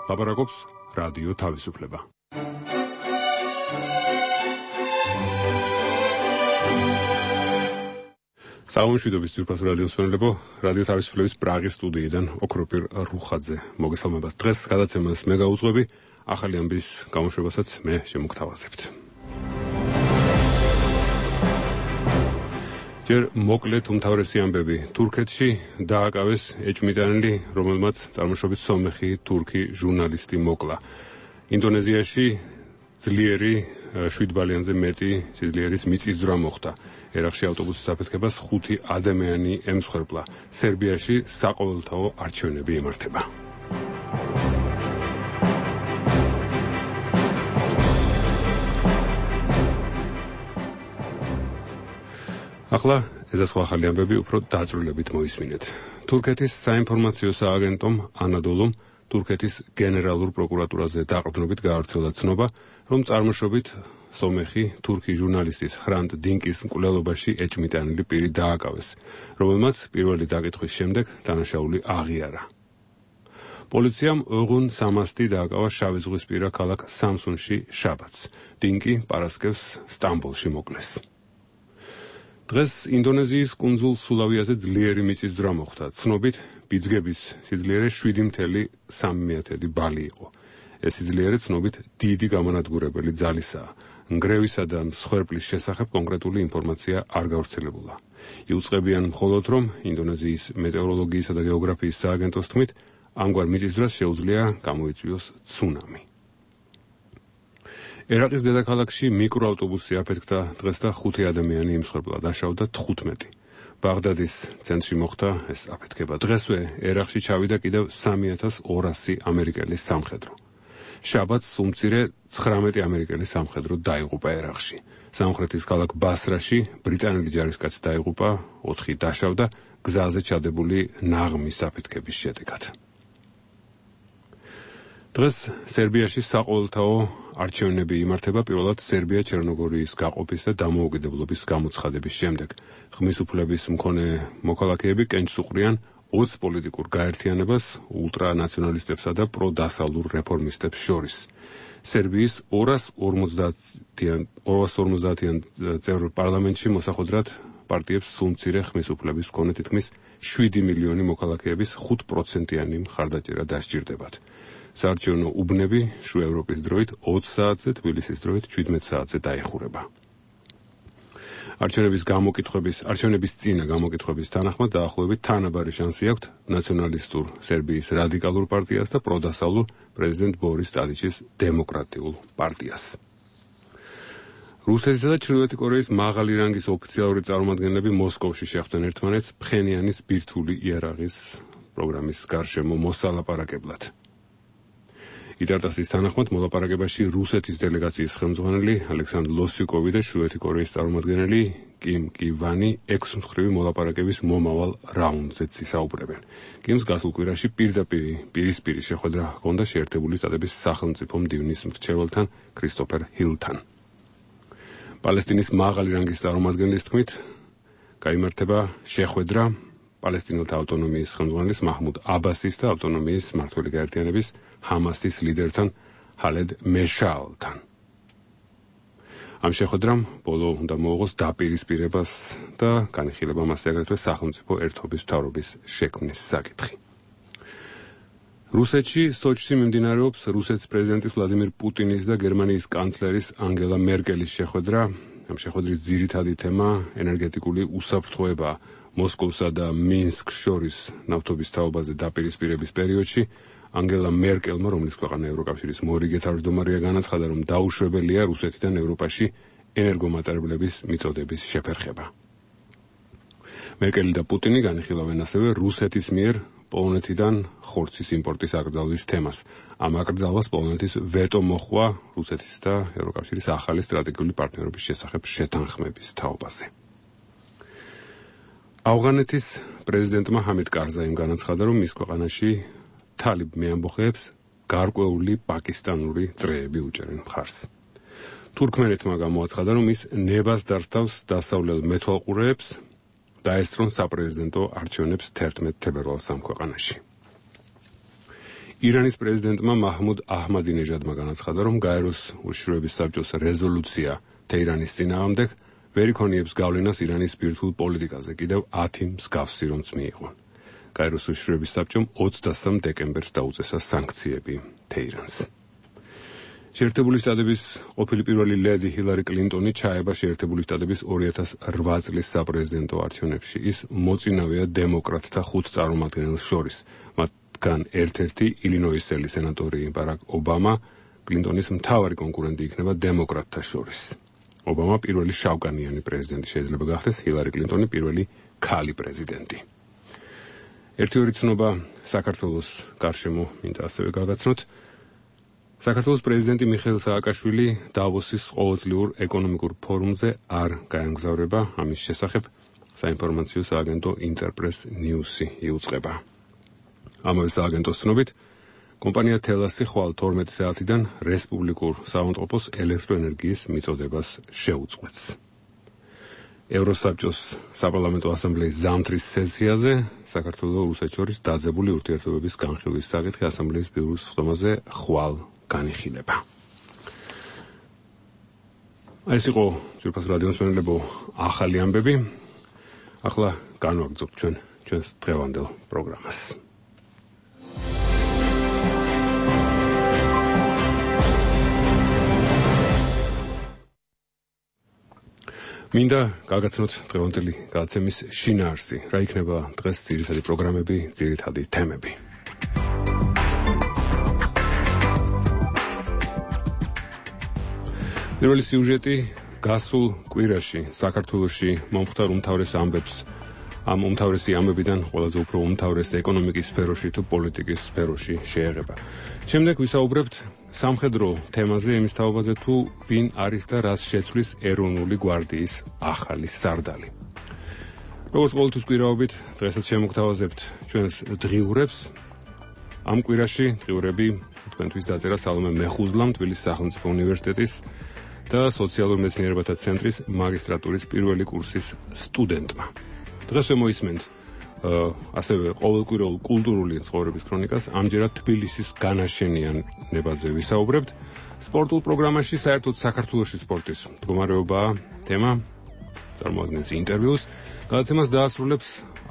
ლაპარაკობს რადიო თავისუფლება. საუბრობთ ძირფას რადიოს მსმენელებო, რადიო თავისუფლების პრაღის სტუდიიდან ოქროპირ რუხაძე მოგესალმებათ. დღეს გადაცემას მე გაუძღვები, ახალი ამბის გამოშვებასაც მე შემოგთავაზებთ. ჯერ მოკლედ უმთავრესი ამბები. თურქეთში დააკავეს ეჭვმიტანილი, რომელმაც წარმოშობით სომეხი თურქი ჟურნალისტი მოკლა. ინდონეზიაში ძლიერი 7 ბალიანზე მეტი სიძლიერის მიწისძვრა მოხდა. ერაყში ავტობუსის აფეთქებას 5 ადამიანი ემსხვერპლა. სერბიაში საყოველთაო არჩევნები იმართება. ახლა ეს სხვა ახალი ამბები უფრო დაწვრილებით მოისმინეთ. თურქეთის საინფორმაციო სააგენტომ ანადოლუმ თურქეთის გენერალურ პროკურატურაზე დაყრდნობით გაავრცელა ცნობა, რომ წარმოშობით სომეხი თურქი ჟურნალისტის ხრანტ დინკის მკვლელობაში ეჭვმიტანილი პირი დააკავეს, რომელმაც პირველი დაკითხვის შემდეგ დანაშაული აღიარა. პოლიციამ ოღონ სამასტი დააკავა შავი ზღვისპირა ქალაქ სამსუნში შაბათს. დინკი პარასკევს სტამბოლში მოკლეს. დღეს ინდონეზიის კუნძულ სულავიაზე ძლიერი მიწისძვრა მოხდა. ცნობით ბიძგების სიძლიერე 7.3 ბალი იყო. ეს სიძლიერე ცნობით დიდი გამანადგურებელი ძალისაა. ნგრევისა და მსხვერპლის შესახებ კონკრეტული ინფორმაცია არ გავრცელებულა. იუწყებიან მხოლოდ, რომ ინდონეზიის მეტეოროლოგიისა და გეოგრაფიის სააგენტოს თქმით, ამგვარ მიწისძვრას შეუძლია გამოიწვიოს ცუნამი. ერაყის დედაქალაქში მიკროავტობუსი აფეთქდა დღეს და 5 ადამიანი იმსხვერპლა, დაშავდა 15. ბაღდადის ცენტრში მოხდა ეს აფეთქება. დღესვე ერაყში ჩავიდა კიდევ 3200 ამერიკელის სამხედრო. შაბათს უმცირე 19 ამერიკელის სამხედრო დაიღუპა ერაყში. სამხრეთის ქალაქ ბასრაში ბრიტანელი ჯარისკაცი დაიღუპა, 4 დაშავდა გზაზე ჩადებული ნაღმის აფეთქების შედეგად. დღეს სერბიაში საყოველთაო არჩევნები იმართება პირველად სერბია ჩერნოგორიის გაყოფის და დამოუკიდებლობის გამოცხადების შემდეგ. ხმის უფლების მქონე მოქალაქეები კენჭს უყრიან 20 პოლიტიკურ გაერთიანებას ულტრანაციონალისტებსა და პროდასავლურ რეფორმისტებს შორის. სერბიის 250-იან წევრ პარლამენტში მოსახვედრად პარტიებს სულ მცირე ხმის უფლების მქონე თითქმის 7 მილიონი მოქალაქეების 5%-იანი მხარდაჭერა დასჭირდებათ. საარჩევნო უბნები შუა ევროპის დროით 20 საათზე, თბილისის დროით 17 საათზე დაიხურება. არჩევნების წინა გამოკითხვების თანახმად დაახლოებით თანაბარი შანსი აქვთ ნაციონალისტურ სერბიის რადიკალურ პარტიას და პროდასავლურ პრეზიდენტ ბორის ტადიჩის დემოკრატიულ პარტიას. რუსეთისა და ჩრდილოეთი კორეის მაღალი რანგის ოფიციალური წარმომადგენლები მოსკოვში შეხვდნენ ერთმანეთს ფხენიანის ბირთვული იარაღის პროგრამის გარშემო მოსალაპარაკებლად. იტარტასის თანახმად მოლაპარაკებაში რუსეთის დელეგაციის ხელმძღვანელი ალექსანდრ ლოსიუკოვი და ჩრდილოეთი კორეის წარმომადგენელი კიმ კივანი 6 მხრივი მოლაპარაკების მომავალ რაუნდზეც ისაუბრებენ. კიმს გასულ კვირაში პირისპირი შეხვედრა ჰქონდა შეერთებული შტატების სახელმწიფო მდივნის მრჩეველთან ქრისტოფერ ჰილთან. პალესტინის მაღალი რანგის წარმომადგენლის თქმით, გაიმართება შეხვედრა პალესტინელთა ავტონომიის ხელმძღვანელის მაჰმუდ აბასის და ავტონომიის მმართველი გაერთიანების ჰამასის ლიდერთან ჰალედ მეშალთან. ამ შეხვედრამ ბოლო უნდა მოუღოს დაპირისპირებას და განიხილება მასზე აგრეთვე სახელმწიფო ერთობის მთავრობის შექმნის საკითხი. რუსეთში სოჩში მიმდინარეობს რუსეთის პრეზიდენტის ვლადიმირ პუტინის და გერმანიის კანცლერის ანგელა მერკელის შეხვედრა. ამ შეხვედრის ძირითადი თემა ენერგეტიკული უსაფრთხოებაა. მოსკოვსა და მინსკს შორის ნავთობის თაობაზე დაპირისპირების პერიოდში ანგელა მერკელმა, რომლის ქვეყანა ევროკავშირის მორიგე თავმჯდომარეა, განაცხადა, რომ დაუშვებელია რუსეთიდან ევროპაში ენერგომატარებლების მიწოდების შეფერხება. მერკელი და პუტინი განიხილავენ ასევე რუსეთის მიერ პოლონეთიდან ხორცის იმპორტის აკრძალვის თემას. ამ აკრძალვას პოლონეთის ვეტო მოჰყვა რუსეთის და ევროკავშირის ახალი სტრატეგიული პარტნიორობის შესახებ შეთანხმების თაობაზე. ავღანეთის პრეზიდენტმა ჰამიდ კარზაიმ განაცხადა, რომ მის ქვეყანაში თალიბ მეამბოხეებს გარკვეული პაკისტანური წრეები უჭერენ მხარს. თურქმენეთმა გამოაცხადა, რომ ის ნებას დასთავს დასავლელ მეთვალყურეებს დაესწრონ საპრეზიდენტო არჩევნებს 11 თებერვალს ამ ქვეყანაში. ირანის პრეზიდენტმა მაჰმუდ აჰმადინეჟადმა განაცხადა, რომ გაეროს უშიშროების საბჭოს რეზოლუცია თეირანის წინააღმდეგ ვერ იქონიებს გავლენას ირანის ბირთვულ პოლიტიკაზე კიდევ 10 მსგავსი რომც მიიღო. გაეროს უშიშროების საბჭომ 23 დეკემბერს დაუწესა სანქციები თეირანს. შეერთებული შტატების ყოფილი პირველი ლედი ჰილარი კლინტონი ჩაება შეერთებული შტატების 2008 წლის საპრეზიდენტო არჩევნებში. ის მოწინავეა დემოკრატთა 5 წარმომადგენელს შორის. მათგან ერთ-ერთი ილინოისელი სენატორი ბარაკ ობამა კლინტონის მთავარი კონკურენტი იქნება დემოკრატთა შორის. ობამა პირველი შავკანიანი პრეზიდენტი შეიძლება გახდეს, ჰილარი კლინტონი პირველი ქალი პრეზიდენტი. ერთი ცნობა საქართველოს გარშემო მინდა ასევე გაგაცნოთ. საქართველოს პრეზიდენტი მიხეილ სააკაშვილი დავოსის ყოველწლიურ ეკონომიკურ ფორუმზე არ გაემგზავრება. ამის შესახებ საინფორმაციო სააგენტო ინტერპრეს ნიუსი იუწყება. ამავე სააგენტოს ცნობით, კომპანია თელასი ხვალ 12 საათიდან რესპუბლიკურ საავადმყოფოს ელექტროენერგიის მიწოდებას შეუწყვეტს. ევროსაბჭოს საპარლამენტო ასამბლეის ზამთრის სესიაზე საქართველოს რუსეთს შორის დაძაბული ურთიერთობების განხილვის საკითხი ასამბლეის ბიუროს სხდომაზე ხვალ განიხილება. ეს იყო ძვირფას რადიოს მენელებო ახალი ამბები. ახლა განვაგრძობთ ჩვენს დღევანდელ პროგრამას. მინდა გაგაცნოთ დღევანდელი გადაცემის შინაარსი. რა იქნება დღეს ძირითადი პროგრამები, ძირითადი თემები. პირველი სიუჟეტი გასულ კვირაში საქართველოში მომხდარ უმთავრეს ამბებს, ამ უმთავრესი ამბებიდან ყველაზე უფრო უმთავრეს ეკონომიკის სფეროში თუ პოლიტიკის სფეროში შეეხება. შემდეგ ვისაუბრებთ სამხედრო თემაზე, იმის თაობაზე თუ ვინ არის და რას შეცვლის ეროვნული გვარდიის ახალი სარდალი. როგორც ყოველთვის კვირაობით, დღესაც შემოგთავაზებთ ჩვენს დღიურებს. ამ კვირაში დღიურები თქვენთვის დაწერა სალომე მეხუზლამ, თბილისის სახელმწიფო უნივერსიტეტის და სოციალურ მეცნიერებათა ცენტრის მაგისტრატურის პირველი კურსის სტუდენტმა. დღეს მოისმენთ ასევე ყოველკვირეულ კულტურული ცხოვრების ქრონიკას, ამჯერად თბილისის განაშენიანებაზე ვისაუბრებთ. სპორტულ პროგრამაში საერთოდ საქართველოში სპორტის მდგომარეობაა თემა, წარმოადგენს ინტერვიუს. გადაცემას დაასრულებს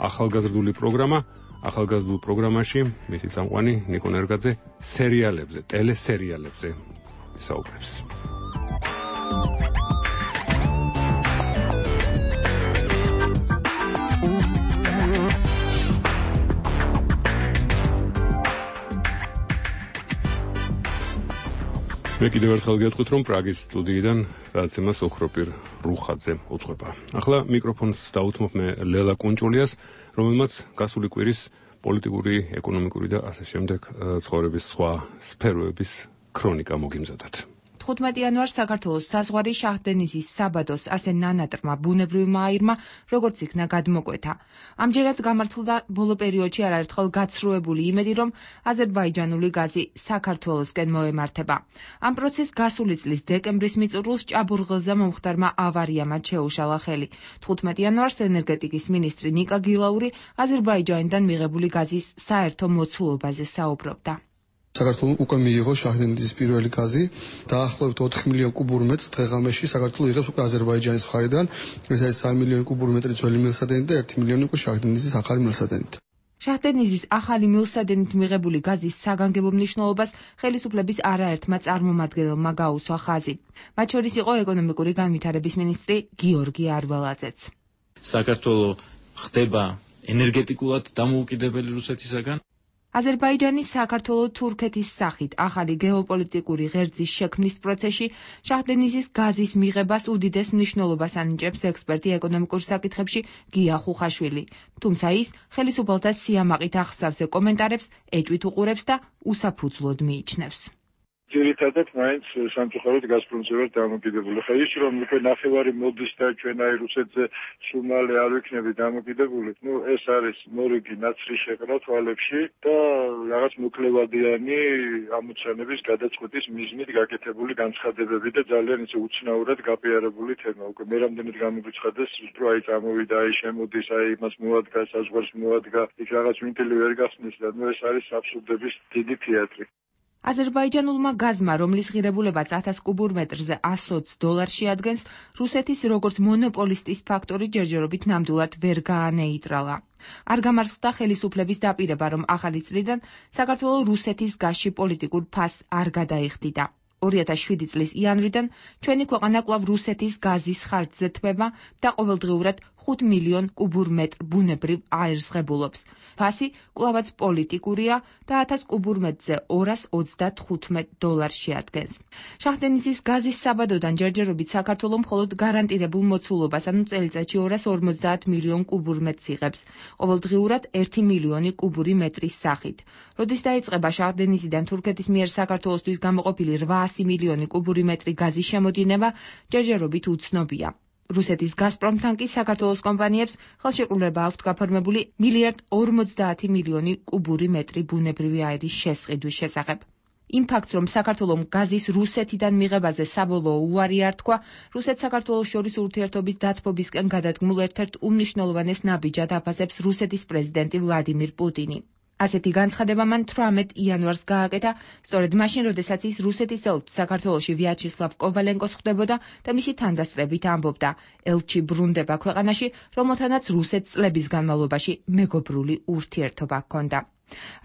ახალგაზრდული პროგრამა. ახალგაზრდულ პროგრამაში მისი წამყვანი ნიკო ნერგაძე სერიალებზე, ტელესერიალებზე ვისაუბრებს. მე კიდევ ერთხელ გეტყვით, რომ პრაგის სტუდიიდან გადაცემას ოქროპირ რუხაძე უძღვება. ახლა მიკროფონს დაუთმობ მე ლელა კუნჭულიას, რომელმაც გასული კვირის პოლიტიკური, ეკონომიკური და ასე შემდეგ ცხოვრების სხვა სფეროების ქრონიკა მოგიმზადათ. 15 იანვარს საქართველოს საზღვარი შაჰდენიზის საბადოს ასე ნანატრმა ბუნებრივმა აირმა როგორც იქნა გადმოკვეთა. ამჯერად გამართლდა ბოლო პერიოდში არაერთხელ გაცრუებული იმედი, რომ აზერბაიჯანული გაზი საქართველოსკენ მოემართება. ამ პროცესს გასული წლის დეკემბრის მიწურულს ჭაბურღილზე მომხდარმა ავარიამ შეუშალა ხელი. 15 იანვარს ენერგეტიკის მინისტრი ნიკა გილაური აზერბაიჯანიდან მიღებული გაზის საერთო მოცულობაზე საუბრობდა. საქართველოს უკვე მიიღო შაჰდენიზის პირველი გაზი, დაახლოებით 4 მილიონ კუბურ მეტრს დღეღამეში საქართველოს იღებს უკვე აზერბაიჯანის მხარიდან. ეს არის 3 მილიონი კუბურ მეტრი ძველი მილსადენით და 1 მილიონი უკვე შაჰდენიზის ახალი მილსადენით. შაჰდენიზის ახალი მილსადენით მიღებული გაზის საგანგებო მნიშვნელობას ხელისუფლების არაერთმა წარმომადგენელმა გაუსვა ხაზი. მათ შორის იყო ეკონომიკური განვითარების მინისტრი გიორგი არველაძეც. საქართველოს ხდება ენერგეტიკულად დამოუკიდებელი რუსეთისაგან. აზერბაიჯანის საქართველო-თურქეთის სახით ახალი გეოპოლიტიკური ღერძის შექმნის პროცესში შაჰდენიზის გაზის მიღებას უდიდეს მნიშვნელობას ანიჭებს ექსპერტი ეკონომიკურ საკითხებში გია ხუხაშვილი. თუმცა ის ხელისუფალთა სიამაყით ახსავს კომენტარებს, ეჭვით უყურებს და უსაფუძვლოდ მიიჩნევს. ძირითადად მაინც სამწუხაროდ გაზპრომზე ვარ დამოკიდებული. ხა ის რომ უკვე ნახევარი მოდის და ჩვენ აი რუსეთზე სულ მალე არ ვიქნებით დამოკიდებული, ეს არის მორიგი ნაცრი შეყრა თვალებში და რაღაც მოკლევადიანი ამოცანების გადაწყვეტის მიზნით გაკეთებული განცხადებები და ძალიან ისე უცნაურად გაპიარებული თემა. უკვე მე რამდენად გამოგვიცხადეს, რომ აი წამოვიდა, აი შემოდის, აი იმას მოადგა, საზღვარს მოადგა, იქ რაღაც ვინტილი ვერ გახსნის და ეს არის აბსურდების დიდი თეატრი. აზერბაიჯანულმა გაზმა, რომლის ღირებულებაც 1000 კუბურ მეტრზე $120 შეადგენს, რუსეთის როგორც მონოპოლისტის ფაქტორი ჯერჯერობით ნამდვილად ვერ გაანეიტრალა. არ გამართლდა ხელისუფლების დაპირება, რომ ახალი წლიდან საქართველოს რუსეთის გაზში პოლიტიკურ ფასს არ გადაიხდიდა. 2007 წლის იანვრიდან ჩვენი ქვეყანა კვლავ რუსეთის გაზის ხარჯზე თმება და ყოველდღიურად 5 მილიონ კუბურ მეტრ ბუნებრივ აირს ღებულობს. ფასი კვლავაც პოლიტიკურია და 1000 კუბურ მეტრზე $235 შეადგენს. შაჰდენიზის გაზის საბადოდან ჯერჯერობით საქართველოს მხოლოდ გარანტირებულ მოცულობას, ანუ წელიწადში 250 მილიონ კუბურ მეტრს იღებს, ყოველდღიურად 1 მილიონი კუბური მეტრის სახით. როდის დაიწყება შაჰდენიზიდან თურქეთის მიერ საქართველოსთვის გამოყოფილი 800 მილიონი კუბური მეტრი გაზის შემოდინება, ჯერჯერობით უცნობია. რუსეთის გაზპრომთან კი საქართველოს კომპანიებს ხელშეკრულება აქვთ გაფორმებული 1,50 მილიონი კუბური მეტრი ბუნებრივი აირის შესყიდვის შესახებ. იმ ფაქტს, რომ საქართველოს გაზის რუსეთიდან მიღებაზე საბოლოო უარი არ თქვა, რუსეთ-საქართველოს შორის ურთიერთობის დათბობისკენ გადადგმულ ერთ-ერთ უმნიშვნელოვანეს ნაბიჯად აფასებს რუსეთის პრეზიდენტი ვლადიმირ პუტინი. ასეთი განცხადება მან 18 იანვარს გააკეთა, სწორედ მაშინ, როდესაც ის რუსეთის ელჩს საქართველოში ვიაჩესლავ კოვალენკოს ხვდებოდა და მისი თანდასწრებით ამბობდა, ელჩი ბრუნდება ქვეყანაში, რომელთანაც რუსეთს წლების განმავლობაში მეგობრული ურთიერთობა ჰქონდა.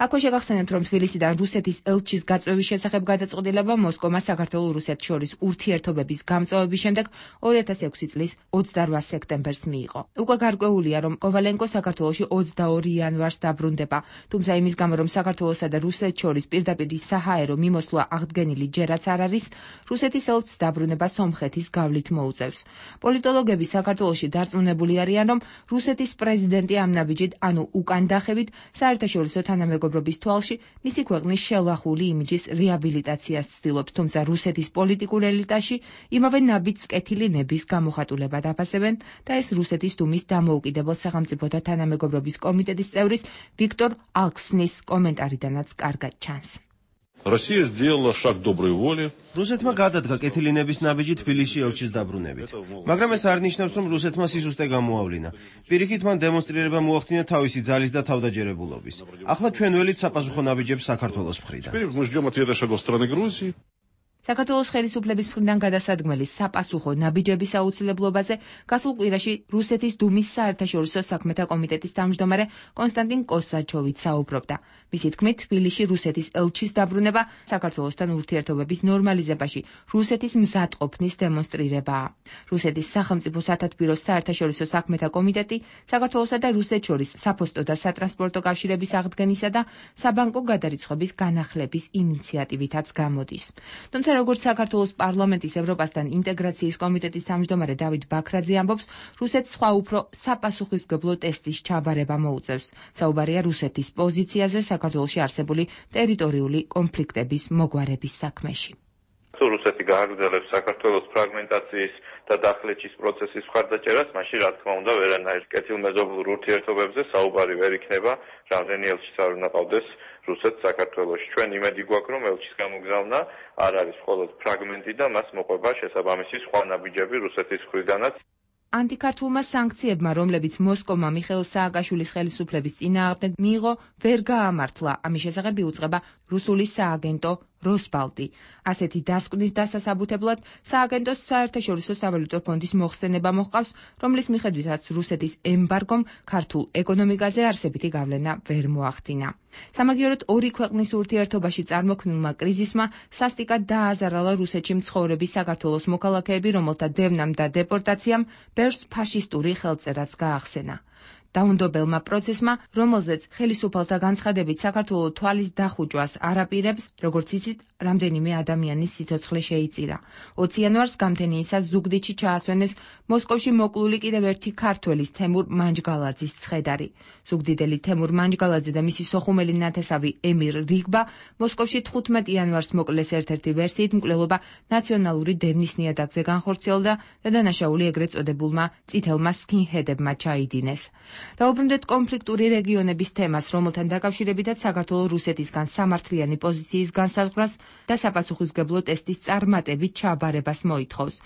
აქვე შეგახსენებთ, რომ თბილისიდან რუსეთის ელჩის გაწვევის შესახებ გადაწყვეტილება მოსკოვმა საქართველოს რუსეთს შორის ურთიერთობების გამწვავების შემდეგ 2006 წლის 28 სექტემბერს მიიღო. უკვე გარკვეულია, რომ კოვალენკო საქართველოში 22 იანვარს დაბრუნდება, თუმცა იმის გამო, რომ საქართველოსა და რუსეთს შორის პირდაპირ საჰაერო მიმოსვლა აღდგენილი ჯერაც არ არის, რუსეთის ელჩს დაბრუნება სომხეთის გავლით მოუწევს. პოლიტოლოგები საქართველოში დარწმუნებული არიან, რომ რუსეთის პრეზიდენტი ამ ნაბიჯით, ანუ უკან დახევით, საერთაშორისო თანამეგობრობის თვალში მისი ქვეყნის შელახული იმიჯის რეაბილიტაციას ცდილობს, თუმცა რუსეთის პოლიტიკურ ელიტაში იმავე ნაბიჯს კეთილი ნების გამოხატულებად აფასებენ და ეს რუსეთის დუმის დამოუკიდებელ სახელმწიფოთა თანამეგობრობის კომიტეტის წევრის ვიქტორ ალქსნის კომენტარიდანაც კარგად ჩანს. Россия сделала шаг доброй воли. რუსეთმა გადადგა კეთილი ნების ნაბიჯი თბილისში ელჩის დაბრუნებით. მაგრამ ეს არ ნიშნავს, რომ რუსეთმა სისუსტე გამოავლინა. პირიქით მან დემონსტრირება მოახდინა თავისი ძალის და თავდაჯერებულობის. ახლა ჩვენ ველით საპასუხო ნაბიჯებს საქართველოს მხრიდან. Теперь мы ждем ответа шагов страны Грузии. საქართველოს ხელისუფლების მხრიდან გადასადგმელი საპასუხო ნაბიჯების აუცილებლობაზე გასულ კვირაში რუსეთის დუმის საერთაშორისო საქმეთა კომიტეტის თავმჯდომარე კონსტანტინ კოსაჩოვიც საუბრობდა. მისი თქმით, თბილისში რუსეთის ელჩის დაბრუნება საქართველოსთან ურთიერთობების ნორმალიზებაში რუსეთის მზადყოფნის დემონსტრირებაა. რუსეთის სახელმწიფო სათათბიროს საერთაშორისო საქმეთა კომიტეტი საქართველოსა და რუსეთს შორის საფოსტო და სატრანსპორტო კავშირების აღდგენისა და საბანკო გადარიცხვების განახლების ინიციატივითაც გამოდის. თუმცა როგორც საქართველოს პარლამენტის ევროპასთან ინტეგრაციის კომიტეტის თავმჯდომარე დავით ბაქრაძე ამბობს, რუსეთს სხვა უფრო საპასუხისმგებლო ტესტის ჩაბარება მოუწევს. საუბარია რუსეთის პოზიციაზე საქართველოში არსებული ტერიტორიული კონფლიქტების მოგვარების საქმეში. რუსეთი გააგრძელებს საქართველოს ფრაგმენტაციის და დახლეჩის პროცესის მხარდაჭერას, მაშინ რა თქმა უნდა ვერანაირ კეთილმეზობლურ ურთიერთობებზე საუბარი ვერ იქნება, რამდენი ელჩის არ უნდა ყავდეს რუსეთს საქართველოში. ჩვენ იმედი გვაქვს, რომ ელჩის გამოგზავნა არ არის მხოლოდ ფრაგმენტი და მას მოყვება შესაბამისი სხვა ნაბიჯები რუსეთის მხრიდანაც. ანტიქართულმა სანქციებმა, რომლებიც მოსკოვმა მიხეილ სააკაშვილის ხელისუფლების წინააღმდეგ მიიღო, ვერ გაამართლა. ამის შესახებ იუწყება რუსული სააგენტო როსბალტი. ასეთი დასკვნის დასასაბუთებლად სააგენტოს საერთაშორისო სავალუტო ფონდის მოხსენება მოჰყავს, რომლის მიხედვითაც რუსეთის ემბარგომ ქართულ ეკონომიკაზე არსებითი გავლენა ვერ მოახდინა. სამაგიეროდ ორი ქვეყნის ურთიერთობაში წარმოქმნილმა კრიზისმა სასტიკად დააზარალა რუსეთში მცხოვრები საქართველოს მოქალაქეები, რომელთა დევნამ და დეპორტაციამ ბევრს ფაშისტური ხელწერაც გაახსენა. დაუნდობელმა პროცესმა, რომელზეც ხელისუფალთა განცხადებით საქართველოს თვალის დახუჭვას არაპირებს, როგორც იცით, რამდენიმე ადამიანის სიცოცხლე შეიწირა. 20 იანვარს გამთენიისას ზუგდიდში ჩაასვენეს მოსკოვში მოკლული კიდევ ერთი ქართველის თემურ მანჯგალაძის ცხედარი. ზუგდიდელი თემურ მანჯგალაძე და მისი სოხუმელი ნათესავი ემირ რიგბა მოსკოვში 15 იანვარს მოკლეს ერთ-ერთი ვერსიით მკვლელობა ნაციონალური დევნის ნიადაგზე განხორციელდა და დანაშაული ეგრეთ წოდებულმა წითელმა სკინჰედებმა ჩაიდინეს. დაუბრუნდეთ კონფლიქტური რეგიონების თემას, რომელთან დაკავშირებითაც საქართველოს რუსეთისგან სამართლიანი პოზიციის განსაზღვრას და საპასუხისმგებლო ტესტის წარმატებით ჩააბარებას მოითხოვს.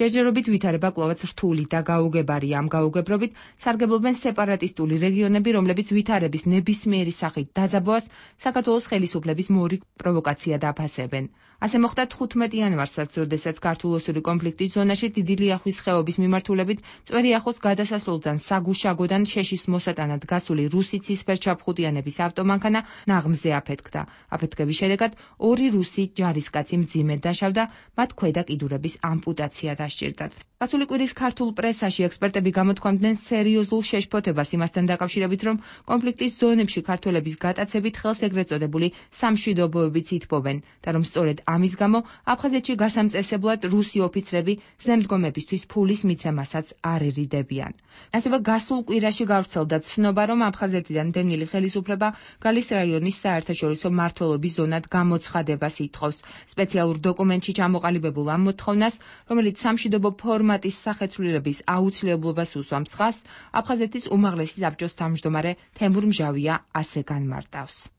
ჯერჯერობით ვითარება კვლავაც რთული და გაუგებარია. ამ გაუგებრობით სარგებლობენ სეპარატისტული რეგიონები, რომლებიც ვითარების ნებისმიერი სახით დაძაბვას საქართველოს ხელისუფლების მორიგ პროვოკაცია დაფასებენ. ასე მოხდა 15 იანვარსაც, როდესაც ქართულ-ოსური კონფლიქტის ზონაში დიდი ლიახვის ხეობის მიმართულებით წვერიახოს გადასასვლელთან საგუშაგოდან შეშის მოსატანად გასული რუსი ცისფერჩაფხუტიანების ავტომანქანა ნაღმზე აფეთქდა. აფეთქების შედეგად 2 რუსი ჯარისკაცი მძიმედ დაშავდა, მათ ქვედა კიდურების ამპუტაცია დასჭირდათ. გასული კვირის ქართულ პრესაში ექსპერტები გამოთქვამდნენ სერიოზულ შეშფოთებას იმასთან დაკავშირებით, რომ კონფლიქტის ზონებში ქართველების გატაცებით ხელს ეგრეთ წოდებული სამშვიდობოებიც ითბობენ და რომ სწორედ ამის გამო აფხაზეთში გასამწესებლად რუსი ოფიცრები ზემდგომებისთვის ფულის მიცემასაც არ ერიდებიან. ასევე გასულ კვირაში გავრცელდა ცნობა, რომ აფხაზეთიდან დევნილი ხელისუფლება გალის რაიონის საერთაშორისო მმართველობის ზონად გამოცხადებას ითხოვს. სპეციალურ დოკუმენტში ჩამოყალიბებულ ამ მოთხოვნას, რომელიც სამშვიდობო ფორმატის სახეცვლილების აუცილებლობას უსვამს ხაზს, აფხაზეთის უმაღლესი საბჭოს თავმჯდომარე თემურ მჟავია ასე განმარტავს.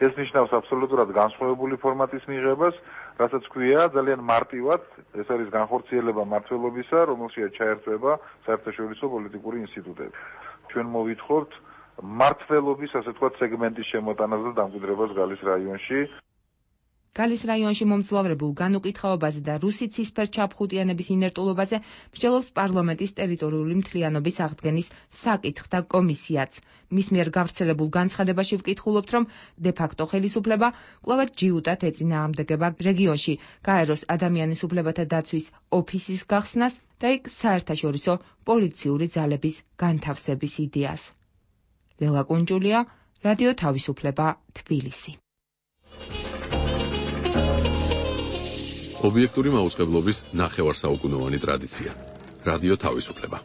ეს ნიშნავს აბსოლუტურად განსხვავებული ფორმატის მიღებას, რასაც ქვია ძალიან მარტივად, ეს არის განხორციელება მმართველობისა, რომელშია ჩაერთვება საერთაშორისო პოლიტიკური ინსტიტუტები. ჩვენ მოვითხოვთ მმართველობის, ასე ვთქვათ, სეგმენტის შემოტანას და დამკვიდრებას გალის რაიონში. გალის რაიონში მომძლავრებულ განუკითხაობაზე და რუსი ცისფერჩაფხუტიანების ინერტულობაზე მსჯელობს პარლამენტის ტერიტორიული მთლიანობის აღდგენის საკითხთა კომისიაც. მის მიერ გავრცელებულ განცხადებაში ვკითხულობთ, რომ დე-ფაქტო ხელისუფლება კვლავაც ჯიუტად ეწინააღმდეგება რეგიონში გაეროს ადამიანის უფლებათა დაცვის ოფისის გახსნას და იქ საერთაშორისო პოლიციური ძალების განთავსების იდეას. ლელა კუნჯულია, რადიო თავისუფლება, თბილისი. ობიექტური მაუწყებლობის ნახევარსაუკუნოვანი ტრადიცია. რადიო თავისუფლება.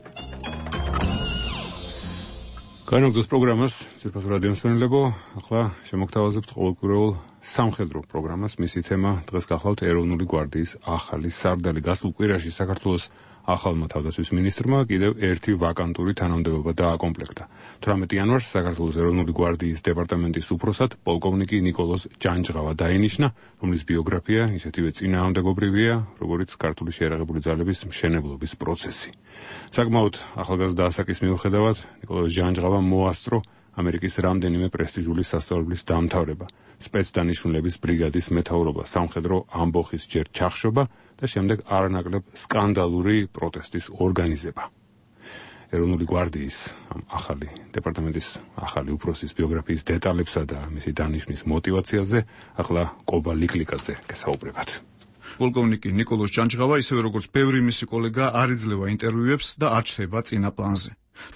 განაგზავნის პროგრამას ძირფას რადიო მსმენელებო, ახლა შემოგთავაზებთ ყოველკვირეულ სამხედრო პროგრამას. მისი თემა დღეს გახლავთ ეროვნული გვარდიის ახალი სარდალი. გასულ კვირაში საქართველოს ახალმა თავდაცვის მინისტრმა კიდევ ერთი ვაკანტური თანამდებობა დააკომპლექტა. 18 იანვარს საქართველოს ეროვნული გვარდიის დეპარტამენტის უფროსად პოლკოვნიკი ნიკოლოზ ჯანჯღავა დაინიშნა, რომლის ბიოგრაფია ისეთივე წინააღმდეგობრივია, როგორც ქართული შეიარაღებული ძალების მშენებლობის პროცესი. საკმაოდ ახალგაზრდა ასაკის მიუხედავად, ნიკოლოზ ჯანჯღავა მოასწრო ამერიკის რამდენიმე პრესტიჟული სასწავლებლის დამთავრება, სპეცდანიშნულების ბრიგადის მეთაურობა, სამხედრო ამბოხის ჯერ ჩახშობა და შემდეგ არანაკლებ სკანდალური პროტესტის ორგანიზება. ეროვნული გვარდიის ახალი დეპარტამენტის ახალი უფროსის ბიოგრაფიის დეტალებსა და მისი დანიშვნის мотиваციაზე ახლა კობა ლიკლიკაძე გესაუბრებათ. პოლკოვნიკი ნიკოლოზ ჯანჯღავა, ისევე როგორც ბევრი მისი კოლეგა, არ იძლევა ინტერვიუებს და არ ჩნდება წინა პლანზე.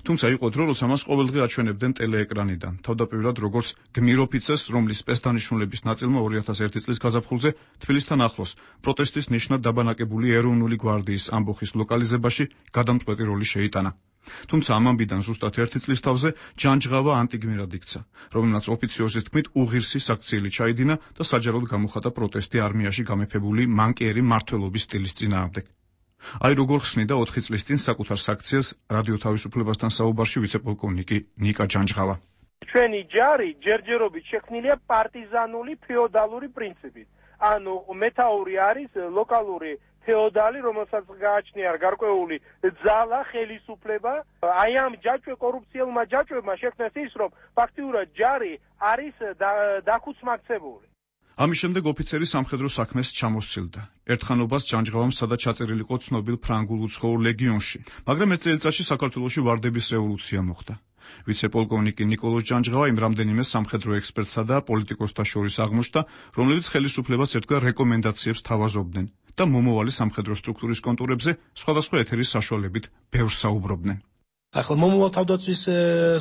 თუმცა იყო დრო, როცა მას ყოველდღე აჩვენებდნენ ტელეეკრანიდან, თავდაპირველად როგორც გმირ ოფიცერს, რომლის სპეცდანიშნულების ნაწილმა 2001 წლის გაზაფხულზე თბილისთან ახლოს პროტესტის ნიშნად დაბანაკებული ეროვნული გვარდიის ამბოხის ლოკალიზებაში გადამწყვეტი როლი შეიტანა. თუმცა ამ ამბიდან ზუსტად 1 წლის თავზე ჯანჯღავა ანტიგმირად იქცა, რომელმაც ოფიციოზის თქმით უღირსი საქციელი ჩაიდინა და საჯაროდ გამოხატა პროტესტი არმიაში გამეფებული მანკიერი მმართველობის სტილის წინააღმდეგ. აი როგორ ხსნიდა 4 წლის წინ საკუთარ საქციელს რადიო თავისუფლებასთან საუბარში ვიცე-პოლკოვნიკი ნიკა ჯანჯღავა. ჩვენი ჯარი ჯერჯერობით შექმნილია პარტიზანული ფეოდალური პრინციპით. ანუ მეთაური არის ლოკალური ფეოდალი, რომელსაც გააჩნია გარკვეული ძალა, ხელისუფლება. აი ამ კორუფციელმა ჯაჭვებმა შექმნეს ის, რომ ფაქტიურად ჯარი არის დახუცმაქცეული. ამის შემდეგ ოფიცერი სამხედრო საქმეს ჩამოსცილდა. ერთხანობას ჯანჯღავამ სცადა ჩაწერილიყო ცნობილ ფრანგულ უცხოურ ლეგიონში, მაგრამ ეს წელიწადში საქართველოში ვარდების რევოლუცია მოხდა. ვიცე-პოლკოვნიკი ნიკოლოზ ჯანჯღავა იმ რამდენიმე სამხედრო ექსპერტსა და პოლიტიკოსთა შორის აღმოჩნდა, რომლებიც ხელისუფლებას ერთგვარ რეკომენდაციებს თავაზობდნენ და მომავალი სამხედრო სტრუქტურის კონტურებზე სხვადასხვა ეთერის საშუალებით ბევრს საუბრობდნენ. ახლა მომავალ თავდაცვის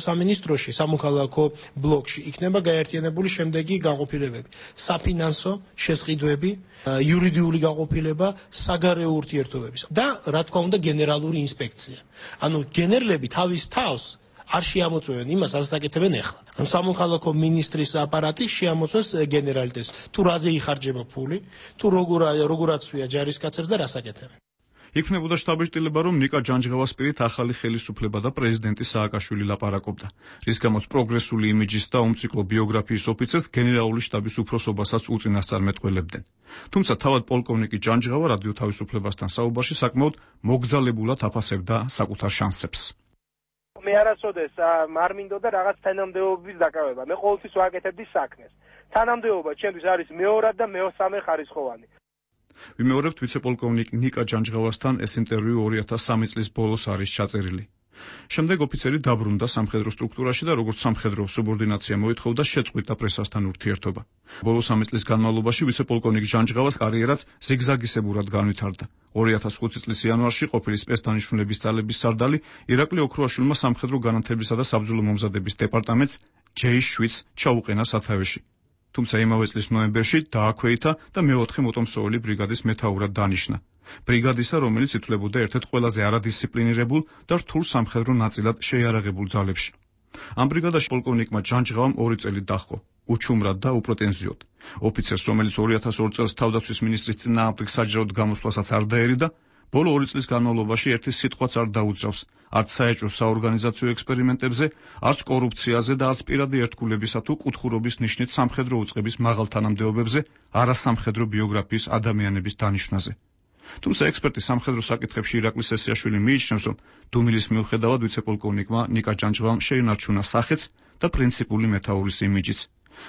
სამინისტროში, სამოქალაქო ბლოკში იქნება გაერთიანებული შემდეგი განყოფილებები: საფინანსო შესყიდვები, იურიდიული განყოფილება, საგარეო ურთიერთობების და რა თქმა უნდა გენერალური ინსპექცია. ანუ გენერლები თავის თავს არ შეამოწმებენ იმას, რასაც აკეთებენ ახლა. ანუ სამოქალაქო მინისტრის აპარატი შეამოწმებს გენერალიტეტს, თუ რაზე იხარჯება ფული, თუ როგორ აცვია ჯარისკაცებს და რას აკეთებენ. იქნებოდა შტაბ-შტილება, რომ ნიკა ჯანჯღავას პირით ახალი ხელისუფლება და პრეზიდენტი სააკაშვილი ლაპარაკობდა, რის გამოც პროგრესული იმიჯის და უმციკლო ბიოგრაფიის ოფიცერს გენერალური შტაბის უფროსობასაც უწინასწარმეტყველებდნენ. თუმცა თავად პოლკოვნიკი ჯანჯღავა რადიო თავისუფლებასთან საუბარში საკმაოდ მოგზალებულად აფასებდა საკუთარ შანსებს. მე არასოდეს არ მინდოდა რაღაც თანამდებობის დაკავება. მე ყოველთვის ვაკეთებდი საქმეს. თანამდებობა ჩემთვის არის მეორად და მესამე ხარისხოვანი. ვიმეორებთ ვიცე-პოლკოვნიკ ნიკა ჯანჯღავასთან ეს ინტერვიუ 2003 წლის ბოლოს არის ჩაწერილი. შემდეგ ოფიცერი დაბრუნდა სამხედრო სტრუქტურაში და როგორც სამხედრო სუბორდინაცია მოითხოვდა შეწყვიტა პრესასთან ურთიერთობა. ბოლოს 3 წლის განმავლობაში ვიცე-პოლკოვნიკ ჯანჯღავას კარიერაც ზიგზაგისებურად განვითარდა. 2005 წლის იანვარში ყოფილი სპეცდანიშნულების ძალების სარდალი ირაკლი ოქროაშვილმა სამხედრო განათლებისა და საბრძოლო მომზადების დეპარტამენტს J7 ჩაუყენა სათავეში. თუმცა იმავე წლის ნოემბერში დააქვეითა და მეოთხე მოტომსოული ბრიგადის მეთაურად დანიშნა. ბრიგადისა, რომელიც ითვლებოდა ერთ-ერთ ყველაზე არადისციპლინირებულ და რთულ სამხედრო ნაწილად შეიარაღებულ ძალებში. ამ ბრიგადაში პოლკოვნიკმა ჯანჯღავამ 2 წელი დაჰყო, უჩუმრად და უპრეტენზიოდ. ოფიცერს, რომელიც 2002 წელს თავდაცვის მინისტრის წინააღმდეგ საჯაროდ გამოსვლასაც არ დაერიდა, ბოლო 2 წლის განმავლობაში ერთი სიტყვაც არ დაუძრავს, არც საეჭვო საორგანიზაციო ექსპერიმენტებზე, არც კორუფციაზე და არც პირადი ერთგულებისა თუ კუთხურობის ნიშნით სამხედრო უწყების მაღალ თანამდებობებზე, არასამხედრო ბიოგრაფიის ადამიანების დანიშვნაზე. თუმცა ექსპერტი სამხედრო საკითხებში ირაკლი სესიაშვილი მიიჩნევს, რომ დუმილის მიუხედავად ვიცე-პოლკოვნიკმა ნიკა ჯანჯღავამ შეინარჩუნა სახეც და პრინციპული მეთაურის იმიჯიც.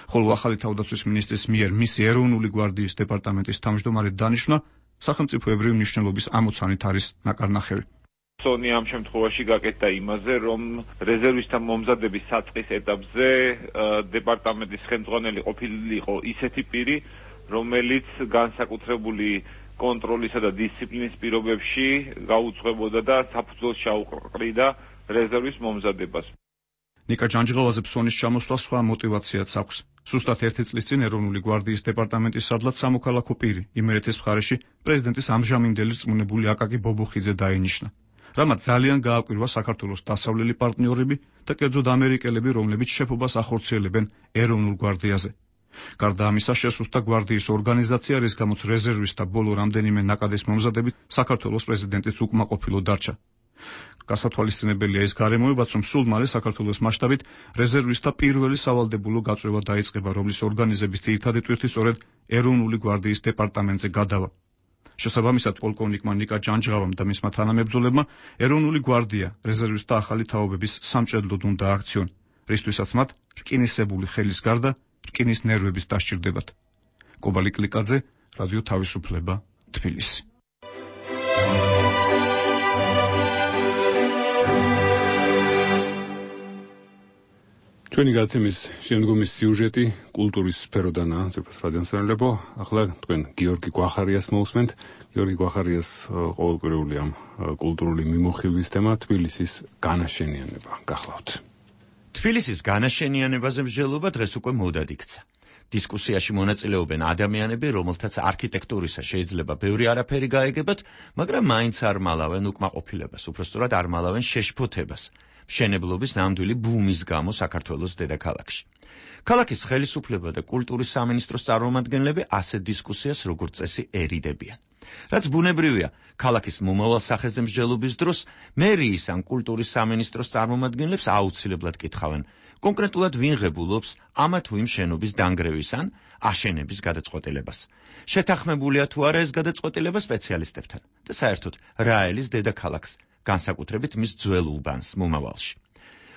ხოლო ახალი თავდაცვის მინისტრის მიერ მისი ეროვნული გვარდიის დეპარტამენტის თავმჯდომარედ დანიშვნა სახელმწიფოებრივი მნიშვნელობის ამოცანით არის ნაკარნახევი. სონი ამ შემთხვევაში გაკეთდა იმაზე, რომ რეზერვისტთა მომზადების საწყის ეტაპზე დეპარტამენტის ხელმძღვანელი ყოფილიყო ისეთი პირი, რომელიც განსაკუთრებული კონტროლისა და დისციპლინის პირობებში გაუძღვებოდა და საფუძველს ჩაუყრიდა რეზერვის მომზადებას. ნიკა ჯანჯღავაზე ფსონის ჩამოსვლა სხვა მოტივაციაც აქვს. სუსტად 1 წლის წინ ეროვნული გვარდიის დეპარტამენტის სადლად სამოქალაქო პირი იმერეთის მხარეში პრეზიდენტის ამჟამინდელი რწმუნებული აკაკი ბობოხიძე დაინიშნა. რამაც ძალიან გააკვირვა საქართველოს დასავლელი პარტნიორები და კერძოდ ამერიკელები, რომლებიც შეფობას ახორციელებენ ეროვნულ გვარდიაზე. გარდა ამისა, შესუსტა გვარდიის ორგანიზაცია, რის გამოც რეზერვისტთა ბოლო რამდენიმე ნაკადის მომზადებით საქართველოს პრეზიდენტიც უკმაყოფილო დარჩა. გასათვალისწინებელია ის გარემოებაც, რომ სულ მალე საქართველოს მასშტაბით რეზერვისტთა პირველი სავალდებულო გაწვევა დაიწყება, რომლის ორგანიზების ძირითადი ტვირთი სწორედ ეროვნული გვარდიის დეპარტამენტზე გადავა. შესაბამისად, პოლკოვნიკმა ნიკა ჯანჯღავამ და მისმა თანამებრძოლებმა ეროვნული გვარდია რეზერვისტთა ახალი თაობების სამჭედლოდ უნდა აქციონ, რისთვისაც მათ რკინისებული ხელის გარდა რკინის ნერვების დასჭირდებათ. კობალი კლიკაძე, რადიო თავისუფლება, თბილისი. ჩვენი გაცემის შემდგომი სიუჟეტი კულტურის სფეროდანაა, ძირფას რადიომსმენელებო. ახლა თქვენ გიორგი გვახარიას მოусმენთ. გიორგი გვახარიას ყოველკვირეული ამ კულტურული მიმოხილვის თემა თბილისის განაშენიანება. გახლავთ. თბილისის განაშენიანებაზე მსჯელობა დღეს უკვე მოდად იქცა. დისკუსიაში მონაწილეობენ ადამიანები, რომელთაც არქიტექტურისა შეიძლება ბევრი არაფერი გაეგებათ, მაგრამ მაინც არ მალავენ უკმაყოფილებას, უბრალოდ არ მალავენ შეშფოთებას. მშენებლობის ნამდვილი ბუმის გამო საქართველოს დედაქალაქში. ქალაქის ხელისუფლება და კულტურის სამინისტროს წარმომადგენლები ასეთ დისკუსიას როგორც წესი ერიდებიან. რაც ბუნებრივია, ქალაქის მომავალ სახეზე მსჯელობის დროს მერიის ან კულტურის სამინისტროს წარმომადგენლებს აუცილებლად კითხავენ, კონკრეტულად ვინ ღებულობს ამა თუ იმ შენობის დანგრევის ან აშენების გადაწყვეტილებას. შეთანხმებულია თუ არა ეს გადაწყვეტილება სპეციალისტებთან და საერთოდ რა ელის დედაქალაქს, განსაკუთრებით მის ძველ უბანს მომავალში.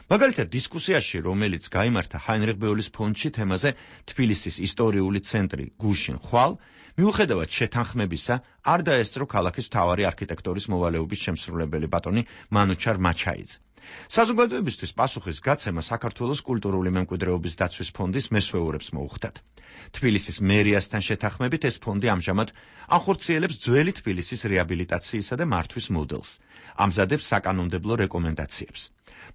მაგალითად, დისკუსიაში, რომელიც გაიმართა ჰაინრიხ ბეოლის ფონდში თემაზე თბილისის ისტორიული ცენტრი გუშინ ხვალ, მიუხედავად შეთანხმებისა, არ დაესწრო ქალაქის მთავარი არქიტექტორის მოვალეობის შემსრულებელი ბატონი მანუჩარ მაჩაიძე. საზოგადოებისთვის პასუხის გაცემა საქართველოს კულტურული მემკვიდრეობის დაცვის ფონდის მესვეურებს მოუხდათ. თბილისის მერიასთან შეთანხმებით ეს ფონდი ამჟამად ახორციელებს ძველი თბილისის რეაბილიტაციისა და მართვის მოდელს, ამზადებს საკანონმდებლო რეკომენდაციებს.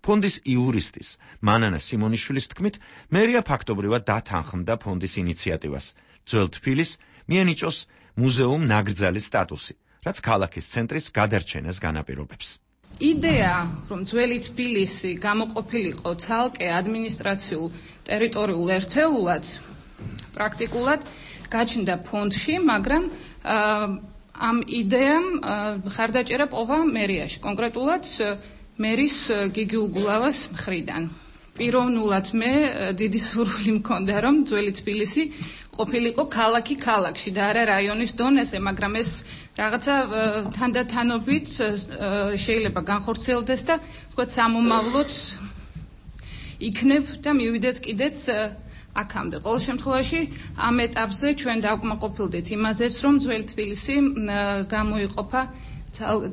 ფონდის იურისტის მანანა სიმონიშვილის თქმით, მერია ფაქტობრივად დათანხმდა ფონდის ინიციატივას, ძველ თბილისს მიენიჭოს მუზეუმ ნაკრძალის სტატუსი, რაც ქალაქის ცენტრის გადარჩენას განაპირობებს. იდეა, რომ ძველი თბილისი გამოყოფილიყო ცალკე ადმინისტრაციულ ტერიტორიულ ერთეულად, პრაქტიკულად გაჩნდა ფონდში, მაგრამ ამ იდეამ ხარდაჭერა პოვა მერიაში, კონკრეტულად მერის გიგი უგულავას მხრიდან. პიროვნულად მე დიდი სურვილი მქონდა, რომ ძველი თბილისი ყოფილიყო ქალაქი ქალაქში და არა რაიონის დონეზე, მაგრამ ეს რაღაცა თანდათანობით შეიძლება განხორციელდეს და თქვა სამომავლოდ იქნებ და მივიდეთ კიდეც აქამდე. ყოველ შემთხვევაში ამ ეტაპზე ჩვენ დავკმაყოფილდით იმაზეც, რომ ძველი თბილისი გამოიყოფა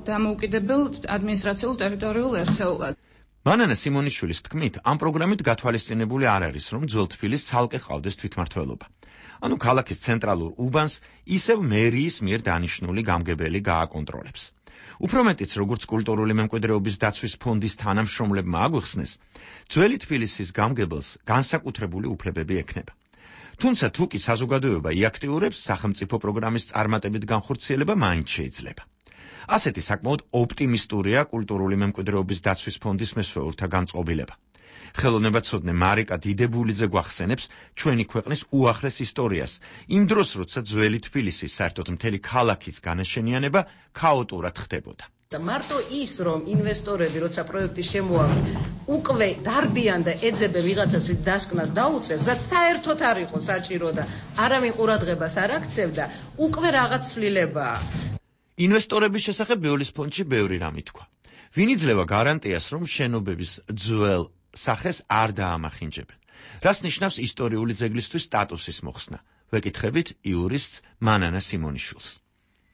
დამოუკიდებელ ადმინისტრაციულ ტერიტორიულ ერთეულად. მანანა სიმონიშვილის თქმით, ამ პროგრამით გათვალისწინებული არ არის, რომ ძველ თბილისს ცალკე ყავდეს თვითმმართველობა. ანუ ქალაქის ცენტრალურ უბანს ისევ მერიის მიერ დანიშნული გამგებელი გააკონტროლებს. უფრო მეტიც, როგორც კულტურული მემკვიდრეობის დაცვის ფონდის თანამშრომლებმა აგვიხსნეს, ძველი თბილისის გამგებელს განსაკუთრებული უფლებები ექნება. თუმცა თუ კი საზოგადოება იაქტიურებს, სახელმწიფო პროგრამის წარმატებით განხორციელება მაინც შეიძლება. ასეთი საკმაოდ ოპტიმისტურია კულტურული მემკვიდრეობის დაცვის ფონდის მესვეურთა განწყობილება. ხელოვნებაცოდნე მარიკა დიდებულიძე გვახსენებს ჩვენი ქვეყნის უახლეს ისტორიას, იმ დროს, როცა ძველი თბილისის საერთოდ მთელი ქალაქის განაშენიანება ქაოტურად ხდებოდა. მარტო ის, რომ ინვესტორები, როცა პროექტი შემოაქვთ, უკვე დარბიან და ეძებენ ვიღაცას, ვინც დასკვნას დაუწეს, რაც საერთოდ არ იყო საჭირო და არავინ ყურადღებას არ აქცევდა, უკვე რაღაც ცვლილებაა. ინვესტორების შესახებ ბიოლის ფონდში ბევრი რამ ითქვა. ვინ იძლევა გარანტიას, რომ შენობების ძველ სახეს არ დაამახინჯებენ? რას ნიშნავს ისტორიული ძეგლისთვის სტატუსის მოხსნა? ვეკითხებით იურისტს მანანა სიმონიშვილს.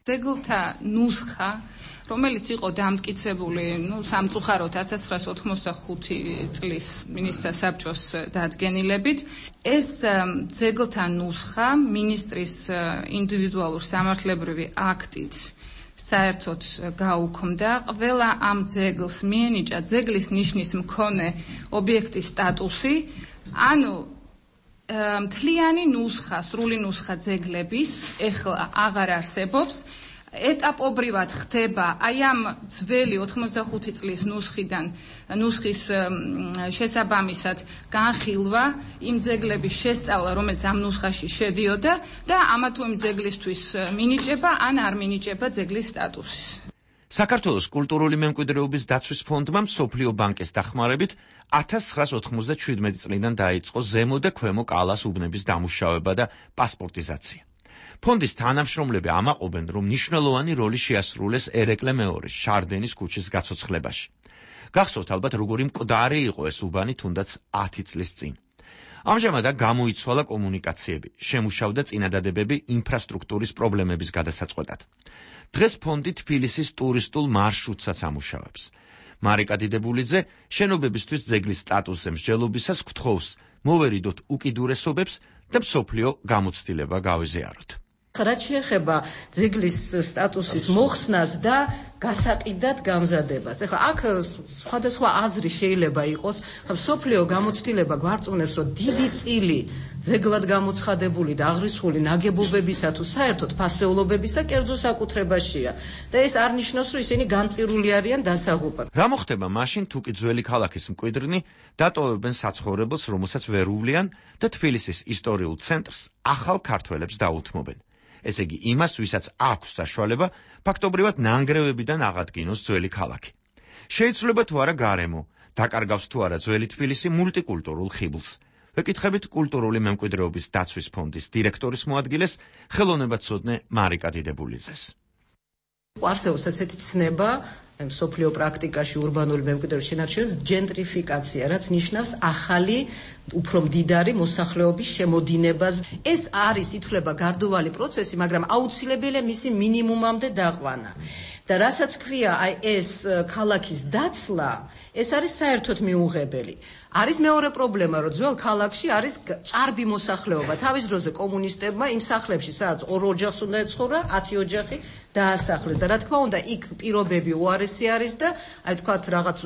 ძეგლთა ნუსხა, რომელიც იყო დამტკიცებული, სამწუხაროდ 1985 წლის მინისტრთა საბჭოს დადგენილებით, ეს ძეგლთა ნუსხა მინისტრის ინდივიდუალურ სამართლებრივი აქტით საერთოდ გაუქმდა. ყველა ამ ძეგლს მიენიჭა ძეგლის ნიშნის მქონე ობიექტის სტატუსი, ანუ მთლიანი ნუსხა, სრული ნუსხა ძეგლების ეხლა აღარ არსებობს. ეტაპობრივად ხდება აი ამ ძველი 85 წლის ნუსხის შესაბამისად განხილვა იმ ძეგლების შესწავლა, რომელიც ამ ნუსხაში შედიოდა და ამა თუ იმ ძეგლისთვის მინიჭება ან არ მინიჭება ძეგლის სტატუსის. საქართველოს კულტურული მემკვიდრეობის დაცვის ფონდმა მსოფლიო ბანკის დახმარებით 1997 წლიდან დაიწყო ზემო და ქვემო კალას უბნების დამუშავება და პასპორტიზაცია. ფონდის თანამშრომლები ამაყობენ, რომ მნიშვნელოვანი როლი შეასრულეს ერეკლე მეორის შარდენის ქუჩის გაცოცხლებაში. გახსოვთ ალბათ, როგორი მკვდარი იყო ეს უბანი თუნდაც 10 წლის წინ. ამჟამად გამოიცვალა კომუნიკაციები, შემუშავდა წინადადებები ინფრასტრუქტურის პრობლემების გადასაწყვეტად. დღეს ფონდი თბილისის ტურისტულ მარშრუტსაც ამუშავებს. მარიკა დიდებულიძე შენობებისთვის ძეგლის სტატუსზე მსჯელობისას გთხოვს მოვერიდოთ უკიდურესობებს და მსოფლიო გამოცდილება გავიზიაროთ. რაც შეეხება ძეგლის სტატუსის მოხსნას და გასაყიდად გამზადებას. ეხლა აქ სხვადასხვა აზრი შეიძლება იყოს, მსოფლიო გამოცდილება გვარწმუნებს, რომ დიდი წილი ძეგლად გამოცხადებული და აღრიცხული ნაგებობებისა თუ საერთოდ ფასეულობებისა კერძო საკუთრებაშია და ეს არ ნიშნავს, რომ ისინი განწირული არიან დასაღუპად. რა მოხდება მაშინ, თუ კი ძველი ქალაქის მკვიდრნი დატოვებენ საცხოვრებელს, რომელსაც ვერ უვლიან და თბილისის ისტორიულ ცენტრს ახალ ქართველებს დაუთმობენ? ესე იგი იმას, ვისაც აქვს საშუალება ფაქტობრივად ნანგრევებიდან აღადგინოს ძველი ქალაქი. შეიცვლება თუ არა გარემო, დაკარგავს თუ არა ძველი თბილისი მულტიკულტურულ ხიბლს. ვეკითხებით კულტურული მემკვიდრეობის დაცვის ფონდის დირექტორის მოადგილეს, ხელოვნებაცოდნე მარიკა დიდებულიძეს. არსებობს ასეთი ცნება მსოფლიო პრაქტიკაში ურბანული მემკვიდრეობის შენარჩუნებას ჯენტრიფიკაცია, რაც ნიშნავს ახალი, უფრო მდიდარი მოსახლეობის შემოდინებას. ეს არის ითვლება გარდოვალი პროცესი, მაგრამ აუცილებელია მისი მინიმუმამდე დაყვანა. და რასაც ქვია, აი ეს ქალაქის დაცლა, ეს არის საერთოდ მიუღებელი. არის მეორე პრობლემა, რომ ძველ ქალაქში არის ჭარბი მოსახლეობა. თავის დროზე კომუნისტებმა იმ სახლებში, სადაც 2 ოჯახს უნდა ეცხოვრა, 10 ოჯახი დაასახლეს და რა თქმა უნდა, იქ პირობები უარესი არის და აი თქვათ რაღაც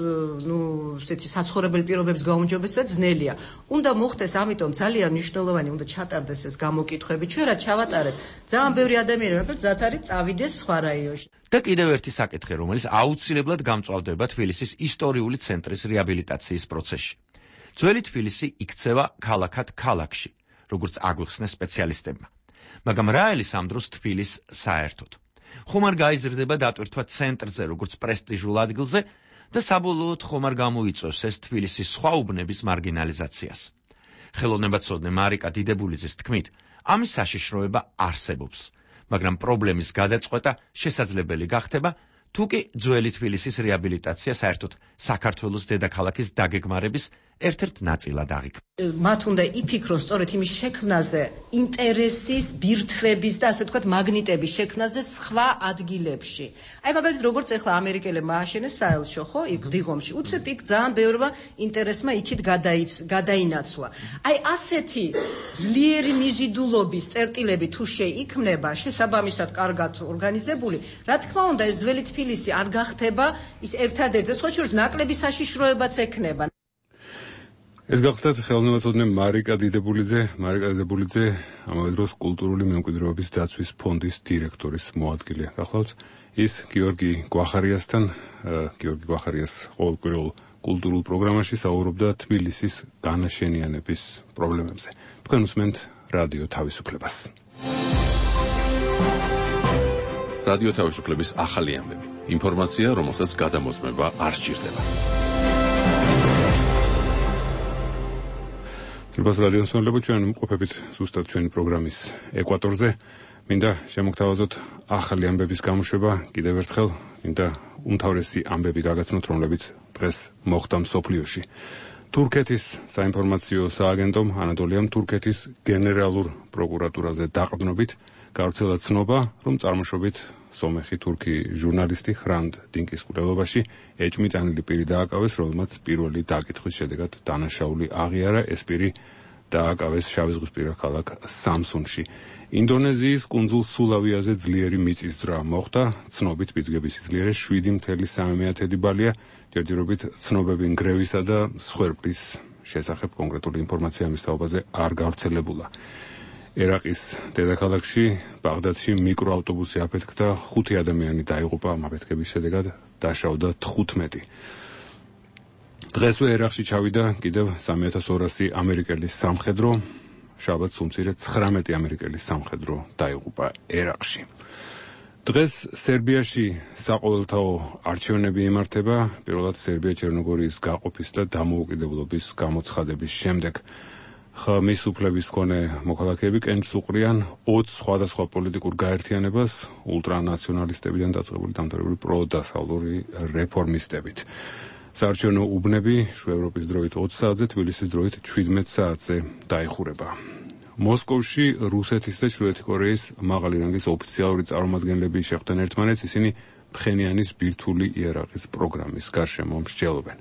ესეთი საცხოვრებელი პირობების გაუმჯობესება ძნელია. უნდა მოხდეს, ამიტომ ძალიან მნიშვნელოვანი უნდა ჩატარდეს ეს გამოკითხვები. ჩვენ რა ჩავატარეთ? ძალიან ბევრი ადამიანი რომელიც ზათ არის წავიდეს სხვა რაიონში. და კიდევ ერთი საკითხი, რომელიც აუცილებლად გამწვავდება თბილისის ისტორიული ცენტრის რეაბილიტაციის პროცესში. ძველი თბილისი იქცევა ქალაქად ქალაქში, როგორც აგვიხსნეს სპეციალისტებმა. მაგრამ რა არის ამ დროს თბილისს საერთოდ? ხომ არ გაიზრდება დატვირთვა ცენტრზე, როგორც პრესტიჟულ ადგილზე და საბოლოოდ ხომ არ გამოიწვევს ეს თბილისის სხვა უბნების მარგინალიზაციას. ხელოვნებაცოდნე მარიკა დიდებულიძის თქმით, ამის საშიშროება არსებობს, მაგრამ პრობლემის გადაწყვეტა შესაძლებელი გახდება, თუ კი ძველი თბილისის რეაბილიტაცია საერთოდ საქართველოს დედაქალაქის დაგეგმარების ერთ-ერთ ნაწილად აღიქმება. მათ უნდა იფიქრონ სწორედ იმის შექმნაზე, ინტერესის, ბირთრების და ასე ვთქვათ, მაგნიტების შექმნაზე სხვა ადგილებში. აი მაგალითად, როგორც ახლა ამერიკელებმა ააშენეს საელჩო, ხო, იქ დიღომში. უცებ იქ ძალიან ბევრმა ინტერესმა იქით გადაინაცვლა. აი ასეთი ძლიერი მიზიდულობის წერტილები თუ შეიქმნება, შესაბამისად კარგად ორგანიზებული, რა თქმა უნდა, ეს ძველი თბილისი არ გახდება ის ერთადერთი, სხვა შორის ნაკლები საშიშროებაც ექნება. ეს გახლდათ ხელოვნებაცოდნე მარიკა დიდებულიძე, ამავე დროს კულტურული მემკვიდრეობის დაცვის ფონდის დირექტორის მოადგილე. გახლავთ ის გიორგი გვახარიასთან, გიორგი გვახარიას ყოველკვირეულ კულტურულ პროგრამაში საუბრობდა თბილისის განაშენიანების პრობლემებზე. თქვენ უსმენთ რადიო თავისუფლებას. რადიო თავისუფლების ახალი ამბები. ინფორმაცია, რომელსაც გადამოწმება არ სჭირდება. თბილისის რადიოს მსმენელებო, ჩვენ მყოფებით ზუსტად ჩვენი პროგრამის ეკვატორზე. მინდა შემოგთავაზოთ ახალი ამბების გამოშვება, კიდევ ერთხელ მინდა უმთავრესი ამბები გაგაცნოთ, რომლებიც დღეს მოხდა მსოფლიოში. თურქეთის საინფორმაციო სააგენტომ ანატოლიამ თურქეთის გენერალურ პროკურატურაზე დაყრდნობით გავრცელა ცნობა, რომ წარმოშობით სომეხი თურქი ჟურნალისტი ხრანდ დინკის მკვლელობაში ეჭვმიტანილი პირი დააკავეს, რომელმაც პირველი დაკითხვის შედეგად დანაშაული აღიარა. ეს პირი დააკავეს შავიზღვისპირა ქალაქ სამსუნში. ინდონეზიის კუნძულ სულავიაზე ძლიერი მიწისძვრა მოხდა. ცნობით პიძგების სიძლიერე 7.3 ბალია. ჯერჯერობით ცნობები ნგრევისა და სხერბლის შესახებ კონკრეტული ინფორმაცია ამის თაობაზე არ გავრცელებულა. ერაყის დედაქალაქში ბაღდადში მიკროავტობუსი აფეთქდა, 5 ადამიანი დაიღუპა, ამ აფეთქების შედეგად დაშავდა 15. დღესვე ერაყში ჩავიდა კიდევ 3200 ამერიკელის სამხედრო, შაბათს უმცირე 19 ამერიკელის სამხედრო დაიღუპა ერაყში. დღეს სერბიაში საყოველთაო არჩევნები იმართება, პირველად სერბია ჩერნოგორიის გაყოფის და დამოუკიდებლობის გამოცხადების შემდეგ. ხმის უფლების მქონე მოქალაქეები კენჭს უყრიან 20 სხვადასხვა პოლიტიკურ გაერთიანებას ულტრანაციონალისტებიდან დაწყებული დამთავრებული პროდასავლური რეფორმისტებით. საარჩევნო უბნები შუევროპის დროით 20 საათზე, თბილისის დროით 17 საათზე დაიხურება. მოსკოვში რუსეთის და შუეთი კორეის მაღალი რანგის ოფიციალური წარმომადგენლები შეხვდნენ ერთმანეთს, ისინი ფხენიანის ბირთვული იარაღის პროგრამის გარშემო მსჯელობენ.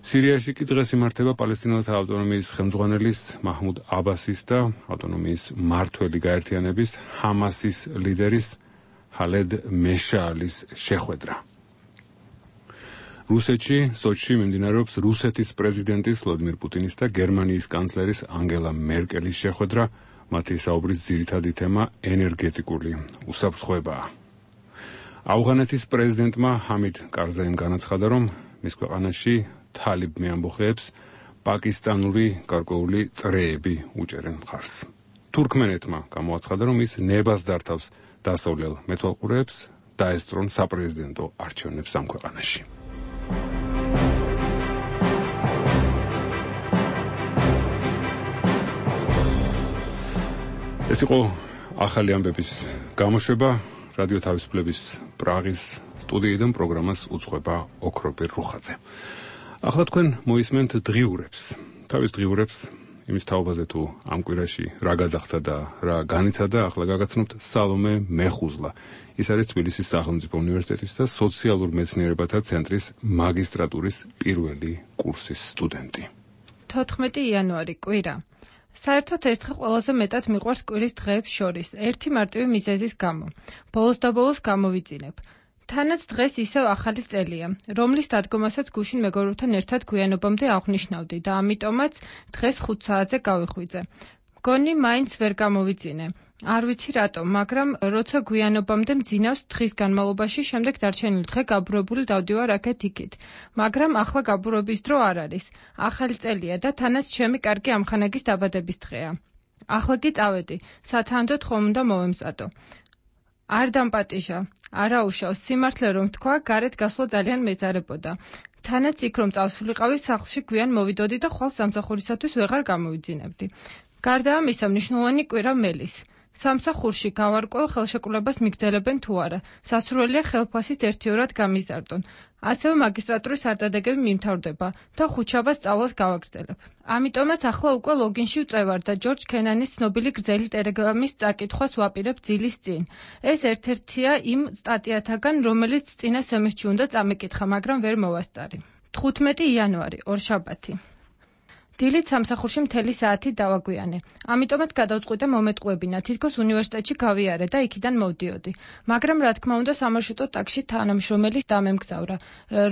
სირიაში კი დღეს იმართება პალესტინელთა ავტონომიის ხელმძღვანელის მაჰმუდ აბასის და ავტონომიის მმართველი გაერთიანების ჰამასის ლიდერის ჰალედ მეშაალის შეხვედრა. რუსეთში, სოჩში მიმდინარეობს რუსეთის პრეზიდენტის ვლადიმირ პუტინის და გერმანიის კანცლერის ანგელა მერკელის შეხვედრა. მათი საუბრის ძირითადი თემა ენერგეტიკული უსაფრთხოებაა. ავღანეთის პრეზიდენტმა ჰამიდ კარზაიმ განაცხადა, რომ მის ქვეყანაში თალიბ მეამბოხეებს პაკისტანური გარკვეული წრეები უჭერენ მხარს. თურქმენეთმა გამოაცხადა, რომ ის ნებას დართავს დასავლელ მეთვალყურეებს დაესწრონ საპრეზიდენტო არჩევნებს ამ ქვეყანაში. ეს იყო ახალი ამბების გამოშვება. რადიო თავისუფლების პრაღის სტუდიიდან პროგრამას უძღვება ოქროპირ რუხაძე. ახლა თქვენ მოისმენთ დღიურებს. თავის დღიურებს იმის თაობაზე თუ ამ კვირაში რა გადახდა და რა განიცადა, ახლა გაგაცნობთ სალომე მეხუზლა. ის არის თბილისის სახელმწიფო უნივერსიტეტის და სოციალურ მეცნიერებათა ცენტრის მაგისტრატურის პირველი კურსის სტუდენტი. 14 იანვარი კვირა. საერთოდ ეს დღე ყველაზე მეტად მიყვარს კვირის დღეებს შორის, ერთი მარტივი მიზეზის გამო. ბოლოს და ბოლოს გამოვიწინებ. თანაც დღეს ისევ ახალი წელია, რომლის დადგომასაც გუშინ მეგობრებთან ერთად გვიანობამდე აღვნიშნავდი და ამიტომაც დღეს 5 საათზე გავიხვიძე. მგონი მაინც ვერ გამოვიწინე. არ ვიცი რატომ, მაგრამ როცა გვიანობამდე მძინავს დღის განმავლობაში, შემდეგ დარჩენილი დღე გაბურებული დავდივარ აქეთ-იქით. მაგრამ ახლა გაბურების დრო არ არის. ახალი წელია და თანაც ჩემი კარგი ამხანაგის დაბადების დღეა. ახლა კი წავედი, სათანადოდ ხომ უნდა მოვემზადო. არ დამპატიჟა, არა უშავს, სიმართლე რომ თქვა, გარეთ გასვლა ძალიან მეძარებოდა. თანაც იქ რომ წავსულიყავი, სახლში გვიან მოვიდოდი და ხვალ სამსახურისათვის ვეღარ გამოვიძინებდი. გარდა ამისა, მნიშვნელოვანი კვირა მელის. სამსახურში გავარკვევ ხელშეკრულებას მიგრძელებენ თუ არა. სასურველია ხელფასით ერთიორად გამიზარდონ. ასევე მაგისტრატურის არტადეგები მიმთავრდება და ხუთშაბათს სწავლას გავაგრძელებ. ამიტომაც ახლა უკვე ლოგინში ვწევარ და ჯორჯ კენანის ცნობილი გრძელი ტელეგრამის წაკითხვას ვაპირებ ძილის წინ. ეს ერთ-ერთია იმ სტატიათაგან, რომელიც წინა სემესტრში უნდა წამეკითხა, მაგრამ ვერ მოვასწარი. 15 იანვარი, ორშაბათი. დილით სამსახურში მთელი საათი დავაგვიანე. ამიტომაც გადავწყვიტე მომეტყუებინა, თითქოს უნივერსიტეტში გავიარე და იქიდან მოვდიოდი. მაგრამ რა თქმა უნდა, სამარშრუტო ტაქსში თანამშრომელი დამემგზავრა,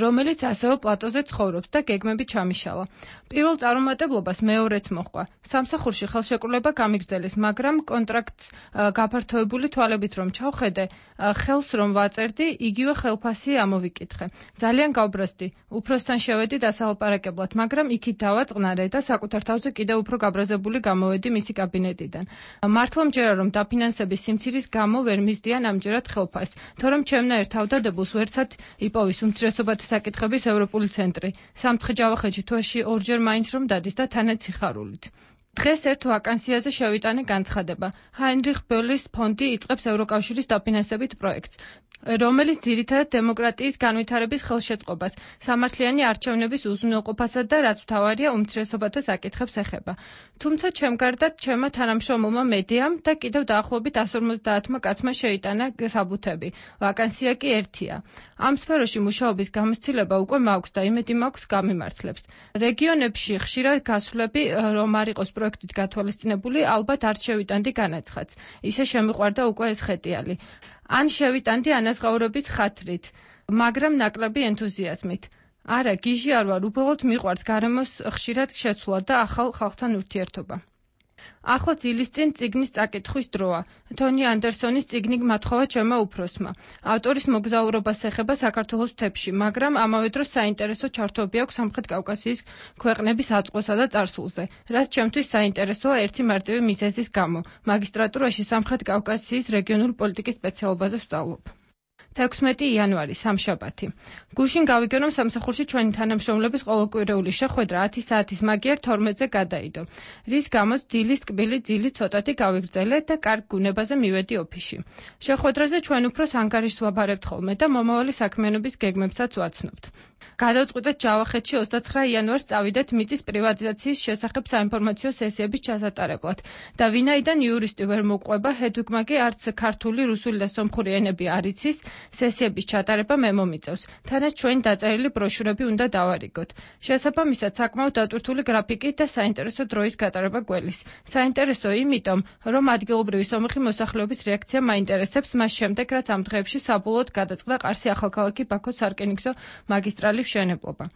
რომელიც ასევე პლატოზე ცხოვრობს და გეგმები ჩამიშალა. პირველ წარუმატებლობას მეორეც მოჰყვა. სამსახურში ხელშეკრულება გამიგრძელეს, მაგრამ კონტრაქტს გაფართოებული თვალებით რომ ჩავხედე, ხელს რომ ვაწერდი, იგივე ხელფასი ამოვიკითხე. ძალიან გავბრაზდი. უფროსთან შევედი დასალაპარაკებლად, მაგრამ იქით დავაწყნარე და საკუთარ თავზე კიდევ უფრო გაბრაზებული გამოვედი მისი კაბინეტიდან. მართლა მჯერა რომ დაფინანსების სიმცირის გამო ვერ მისდიან ამჯერად ხელფასს, თორემ ჩემნაირ თავდადებულს ვერცად იპოვის უმცირესობათა საკითხების ევროპული ცენტრი. სამთხე ჯავახეთში თვეში ორჯერ მაინც რომ დადის და თანაც სიხარულით. დღეს ერთ ვაკანსიაზე შევიტანე განცხადება. ჰაინრიხ ბოლის ფონდი იწყებს ევროკავშირის დაფინანსებით პროექტს, რომელიც ძირითადად დემოკრატიის განვითარების ხელშეწყობას, სამართლიანი არჩევნების უზრუნველყოფასა და რაც მთავარია უმცირესობათა საკითხებს ეხება. თუმცა ჩემ გარდაც ჩემმა თანამშრომელმა მედიამ და კიდევ დაახლოებით 150 კაცმა შეიტანა საბუთები. ვაკანსია კი ერთია. ამ სფეროში მუშაობის გამოცდილება უკვე მაქვს და იმედი მაქვს გამიმართლებს. რეგიონებში ხშირად გასვლები რომ არ იყოს პროექტით გათვალისწინებული, ალბათ არ შევიტანდი განაცხადს. ისე შემიყვარდა უკვე ეს ხეტიალი. ან შევიტანდი ანაზღაურების ხათრით, მაგრამ ნაკლები ენთუზიაზმით. არა, გიჟი არ ვარ, უბრალოდ მიყვარს გარემოს ხშირად შეცვლა და ახალ ხალხთან ურთიერთობა. ახლა ძილის წინ წიგნის წაკითხვის დროა. თონი ანდერსონის წიგნი გმათხოვა ჩემმა უფროსმა. ავტორის მოგზაურობას ეხება საქართველოს მთებში, მაგრამ ამავე დროს საინტერესო ჩართვები აქვს სამხრეთ კავკასიის ქვეყნების აწყვესა და წარსულზე, რაც ჩემთვის საინტერესოა ერთი მარტივი მიზეზის გამო. მაგისტრატურაში სამხრეთ კავკასიის რეგიონული პოლიტიკის სპეციალობაზე ვსწავლობ. 16 იანვარი, სამშაბათი. გუშინ გავიგე რომ სამსახურში ჩვენი თანამშრომლების ყოველკვირეული შეხვედრა 10 საათის მაგიერ 12-ზე გადაიდო, რის გამოც დილის ტკბილი ძილი ცოტათი გავიგრძელე და კარგ გუნებაზე მივედი ოფისში. შეხვედრაზე ჩვენ უფროს ანგარიშს ვაბარებთ ხოლმე და მომავალი საქმიანობის გეგმებსაც ვაცნობთ. გადავწყვიტეთ ჯავახეთში 29 იანვარს წავიდეთ მიწის პრივატიზაციის შესახებ საინფორმაციო სესიების ჩასატარებლად და ვინაიდან იურისტი ვერ მოყვება, ჰედვიგმა კი არც ქართული, რუსული და სომხური ენები არ იცის, სესიების ჩატარება მე მომიწევს. თანაც ჩვენი დაწერილი ბროშურები უნდა დავარიგოთ. შესაბამისად, საკმაოდ დატვირთული გრაფიკით და საინტერესო დროის გატარება გველის. საინტერესო იმიტომ, რომ ადგილობრივი სომეხი მოსახლეობის რეაქცია მაინტერესებს მას შემდეგ, რაც ამ დღეებში საბოლოოდ გადაწყდა ყარსი ახალქალაქი ბაქოს სარკინიგზო მაგისტრალის მშენებლობა.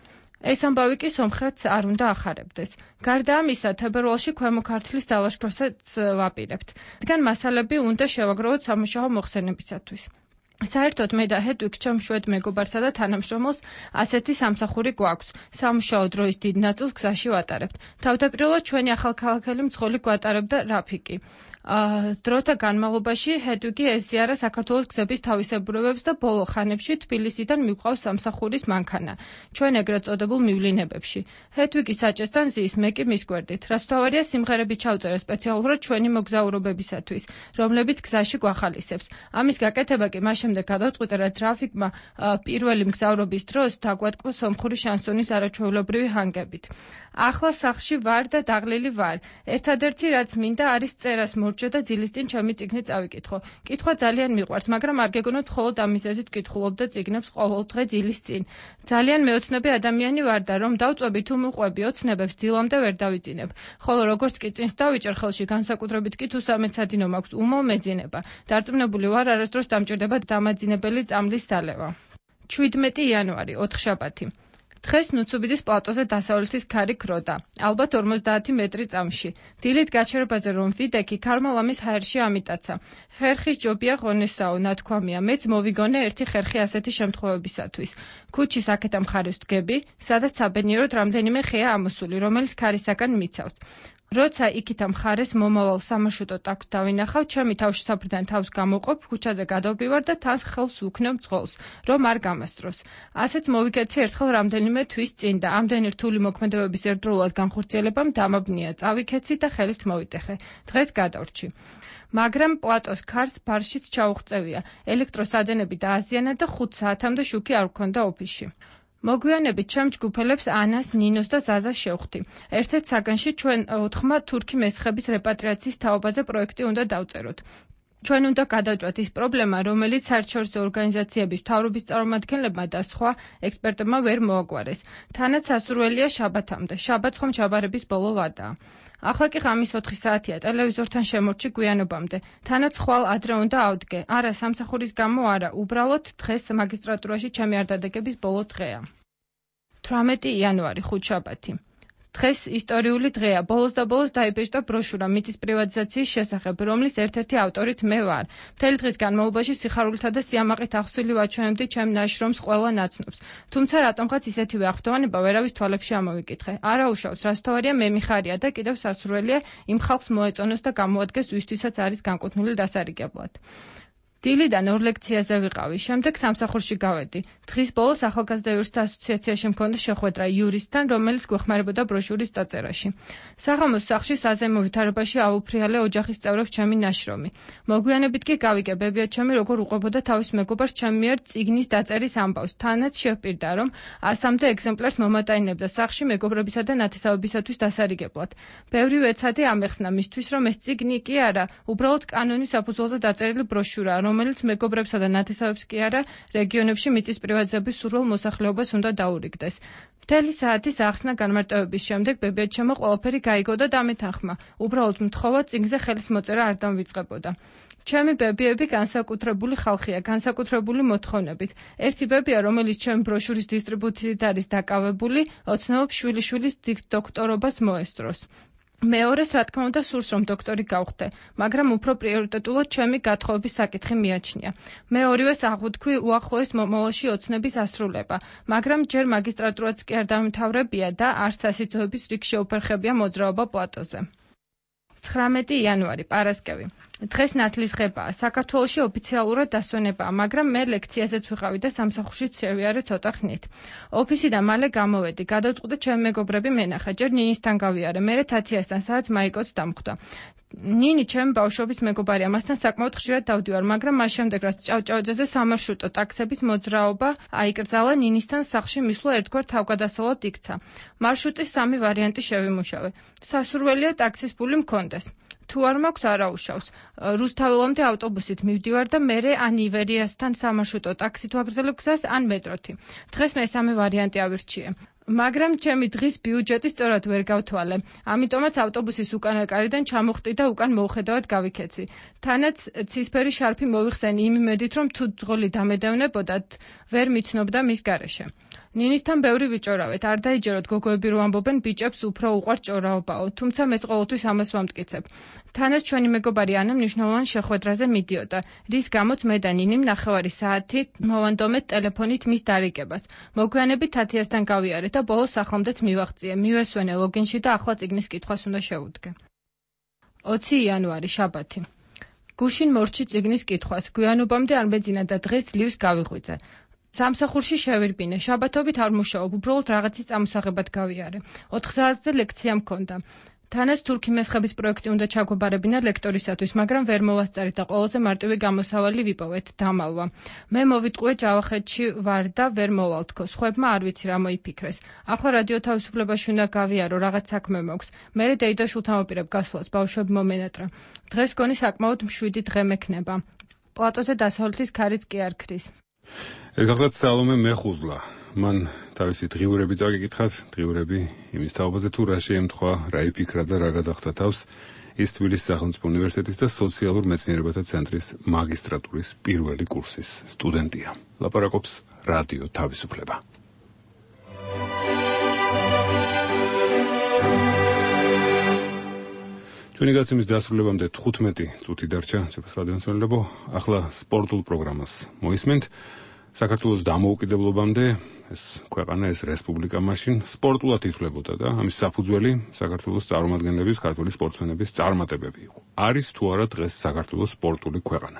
ეს ამბავი კი სომხეთს არ უნდა ახარებდეს. გარდა ამისა, თებერვალში ქვემო ქართლის დალაშქრასაც ვაპირებთ. რადგან მასალები უნდა შევაგროვოთ სამუშაო მოხსენებისათვის. საერთოდ მე და ჰედვიგ ჩემ შვედ მეგობარსა და თანამშრომელს ასეთი სამსახური გვაქვს. სამუშაო დროის დიდ ნაწილს გზაში ვატარებთ. თავდაპირველად ჩვენი ახალქალაქელი მძღოლი გვატარებდა რაფიკი. დროთა განმავლობაში ჰედვიგი ეზიარა საქართველოს გზების თავისებურებებს და ბოლო ხანებში თბილისიდან მიგვყავს სამსახურის მანქანა, ჩვენ ეგრეთ წოდებულ მივლინებებში. ჰედვიგი საჭესთან ზის, მე კი მის გვერდით. რასთავარია სიმღერები ჩავწერა სპეციალურად ჩვენი მოგზაურობებისათვის, რომლებიც გზაში გვახალისებს. ამის გაკეთება კი მას შემდეგ გადავწყვიტე, რაც რაფიკმა პირველი მგზავრობის დროს დაგვატკბო სომხური შანსონის არაჩვეულებრივი ჰანგებით. ახლა სახლში ვარ და დაღლილი ვარ. ერთადერთი რაც მინდა არის წერას მორჩა და ძილის წინ ჩემი წიგნი წავიკითხო. კითხვა ძალიან მიყვარს, მაგრამ არ გეგონოთ მხოლოდ ამის ეზით ვკითხულობ და წიგნებს ყოველ დღე ძილის წინ. ძალიან მეოცნები ადამიანი ვარ და რომ დავწვევი თუ მუყვები ოცნებებს დილამდე ვერ დავიძინებ. ხოლო როგორც კი წინს დავიჭერ ხელში განსაკუთრებით კი თუ სამეცადინო მაქვს უმალ მეძინება. დარწმუნებული ვარ არასდროს დამჭირდება დამაძინებელი წამლის დალევა. 17 იანვარი, ოთხშაბათი. დღეს ნუცუბიძის პლატოზე დასავლეთის ქარი ქროდა, ალბათ 50 მეტრი წამში. დილით გაჩერებაზე რომ ვიდექი, ქარმალამის ჰაერში ამიტაცა. ხერხის ჯობია ღონესაო, ნათქვამია, მეც მოვიგონე ერთი ხერხი ასეთი შემთხვევებისათვის. ქუჩის აქეთა მხარეს ვდგები, სადაც საბედნიეროდ რამდენიმე ხეა ამოსული, რომელიც ქარისაგან მიცავს. როცა იქითა მხარეს მომავალ სამარშრუტო ტაქსს დავინახავ, ჩემი თავშესაფრიდან თავს გამოვყოფ, ქუჩაზე გადავდივარ და თავს ხელს ვუქნევ მძღოლს, რომ არ გამასწროს. ასეც მოვიქეცი ერთხელ რამდენიმე თვის წინ და ამდენი რთული მოქმედებების ერთდროულად განხორციელებამ დამაბნია, წავიქეცი და ხელით მოვიტეხე. დღეს გადავრჩი. მაგრამ პლატოს ქარს ბარშიც ჩაუღწევია, ელექტროსადენები დააზიანა და 5 საათამდე შუქი არ ვქონდა ოფისში. მოგვიანებით ჩემ ჯგუფელებს ანას, ნინოს და ზაზას შევხვდი. ერთ-ერთ საგანში ჩვენ 4-მა თურქი მესხების რეპატრიაციის თაობაზე პროექტი უნდა დავწეროთ. ჩვენ უნდა გადავჭვათ ის პრობლემა, რომელიც საერთაშორისო ორგანიზაციების მთავრობის წარმომადგენლებმა და სხვა ექსპერტებმა ვერ მოაგვარეს. თანაც სასურველია შაბათამდე. შაბათს ხომ ჩაბარების ბოლო ვადაა. ახლა კი ღამის 4 საათია, ტელევიზორთან შემორჩი გვიანობამდე. თანაც ხვალ ადრე უნდა ავდგე. არა, სამსახურის გამო არა, უბრალოდ დღეს მაგისტრატურაში ჩემი არდადეგების ბოლო დღეა. 18 იანვარი, ხუთშაბათი. დღეს ისტორიული დღეა. ბოლოს და ბოლოს დაიბეჭდა ბროშურა მიწის პრივატიზაციის შესახებ, რომლის ერთ-ერთი ავტორიც მე ვარ. მთელი დღის განმავლობაში სიხარულითა და სიამაყით ახსვილი ვაჩვენებდი ჩემ ნაშრომს ყველა ნაცნობს. თუმცა რატომღაც ისეთივე აღფრთოვანება ვერავის თვალებში ამოვიკითხე. არა უშავს, რასთავარია მე მიხარია და კიდევ სასურველია იმ ხალხს მოეწონოს და გამოადგეს, ვისთვისაც არის განკუთვნილი დასარიგებლად. დილიდან 2 ლექციაზე ვიყავი, შემდეგ სამსახურში გავედი. დღის ბოლოს ახალგაზრდა იურისტთა ასოციაციაში მქონდა შეხვედრა იურისტთან, რომელიც გვეხმარებოდა ბროშურის დაწერაში. საღამოს სახლში საზეიმო ვითარებაში აუფრიალე ოჯახის წევრებს ჩემი ნაშრომი. მოგვიანებით კი გავიგე ბებია ჩემი როგორ უყვებოდა თავის მეგობარს ჩემი მიერ წიგნის დაწერის ამბავს. თანაც შევპირდა, რომ 100-მდე ეგზემპლარს მომატაინებდა სახლში მეგობრებისა და ნათესავებისათვის დასარიგებლად. ბევრი ვეცადი ამეხსნა მისთვის, რომ ეს წიგნი კი არა, უბრალოდ კანონის საფუძველზე დაწერილი ბროშურაა, რომელიც მეგობრებსა და ნათესავებს კი არა, რეგიონებში მიწის პრივატიზების სურველ მოსახლეობას უნდა დაურიგდეს. მთელი საათის ახსნა განმარტოების შემდეგ ბებიაჩემო ყველაფერი გაიგო და დამეთანხმა. უბრალოდ მთხოვა წიგნზე ხელის მოწერა არ დამვიწყებოდა. ჩემი ბებიები განსაკუთრებული ხალხია, განსაკუთრებული მოთხოვნებით. ერთი ბებია, რომელიც ჩემი ბროშურის დისტრიბუციით არის დაკავებული, ოცნებობს შვილიშვილის დოქტორობას მოესწროს. მეორეს რა თქმა უნდა სურს რომ დოქტორი გავხდე, მაგრამ უფრო პრიორიტეტულად ჩემი გათხოვების საკითხი მიაჩნია. მე ორივეს აღვთქვი უახლოეს მომავალში ოცნების ასრულება, მაგრამ ჯერ მაგისტრატურაც კი არ დამთავრებია და არც სასიძოების რიგ შეუფერხებია მოძრაობა პლატოზე. 19 იანვარი, პარასკევი. დღეს ნათლისღებაა. საქართველოში ოფიციალურად დასვენებაა, მაგრამ მე ლექციაზეც ვიყავი და სამსახურშიც შევიარე ცოტა ხნით. ოფისიდან მალე გამოვედი, გადავწყვიტე ჩემი მეგობრები მენახა, ჯერ ნინისთან გავიარე, მერე თათიასთან, სადაც მაიკოც დამხვდა. ნინი ჩემი ბავშვობის მეგობარია, მასთან საკმაოდ ხშირად დავდივარ, მაგრამ მას შემდეგ რაც ჭავჭავაძეზე სამარშრუტო ტაქსების მოძრაობა აიკრძალა, ნინისთან სახლში მისვლა ერთგვარ თავგადასავლად იქცა. მარშრუტის 3 ვარიანტი შევიმუშავე. სასურველია ტაქსის ფული მქონდეს. თუ არ მაქვს არაუშავს. რუსთაველამდე ავტობუსით მივდივარ და მერე ან ივერიასთან სამარშრუტო ტაქსით ვაგრძელებ გზას, ან მეტროთი. დღეს მესამე ვარიანტი ავირჩიე. მაგრამ ჩემი დღის ბიუჯეტი სწორად ვერ გავთვალე. ამიტომაც ავტობუსის უკანა კარიდან ჩამოხტი და უკან მოუხედავად გავიქეცი. თანაც ცისფერი შარფი მოვიხსენი იმ იმედით, რომ თუ ძღოლი დამედევნებოდათ, ვერ მიცნობდა მის გარეშე. ნინისთან ბევრი ვიჭორავეთ, არ დაიჯეროთ გოგოები რო ამბობენ ბიჭებს უფრო უყვართ ჭორავობაო, თუმცა მეც ყოველთვის ამას ვამტკიცებ. თანაც ჩვენი მეგობარი ანა მნიშვნელოვან შეხვედრაზე მიდიოდა, რის გამოც მე და ნინიმ 9 საათით მოვანდომეთ ტელეფონით მის დარიგებას. მოგვიანებით თათიასთან გავიარე და ბოლოს ახლამდეც მივაღწიე, მივესვენე ლოგინში და ახლა წიგნის კითხვას უნდა შევუდგე. 20 იანვარი შაბათი. გუშინ მორჩი წიგნის კითხვას, გვიანობამდე არ მეძინა და დღეს ძლივს გავიღვიძე. სამსახურში შევირბინე, შაბათობით არ მუშაობ, უბრალოდ რაღაცის წამოსაღებად გავიარე. 4 საათზე ლექცია მქონდა. თანაც თურქი მესხების პროექტი უნდა ჩაგვაბარებინა ლექტორისათვის, მაგრამ ვერ მოვასწარით და ყველაზე მარტივი გამოსავალი ვიპოვეთ, დამალვა. მე მოვიტყუე ჯავახეთში ვარ და ვერ მოვალ თქო, სხვებმა არ ვიცი რა მოიფიქრეს. ახლა რადიო თავისუფლებაში უნდა გავიარო, რაღაც საქმე მოქვს. მერე დეიდო შულთამოპირებ გასვლას, ბავშვები მომენატრა. დღეს გონი საკმაოდ მშვიდი დღე მექნება. პლატოზე დასავლეთის ქარიც კი არ ქრის. ეხლა სალომე მეხუზლა. მან თავისი დღიურები წაგიკითხათ, დღიურები იმის თაობაზე თუ რა შეემთხვა, რა იფიქრა და რა გადახდა თავს, ის თბილისის სახელმწიფო უნივერსიტეტის და სოციალურ მეცნიერებათა ცენტრის მაგისტრატურის პირველი კურსის სტუდენტია. ლაპარაკობს რადიო თავისუფლება. ჩვენი გაცემის დასრულებამდე 15 წუთი დარჩა, რადიო მსმენელებო, ახლა სპორტულ პროგრამას მოისმენთ. საქართველოს დამოუკიდებლობამდე ეს ქვეყანა, ეს რესპუბლიკა მაშინ სპორტულად ითვლებოდა და ამის საფუძველი საქართველოს წარმომადგენლების, ქართული სპორტსმენების წარმატებები იყო. არის თუ არა დღეს საქართველოს სპორტული ქვეყანა?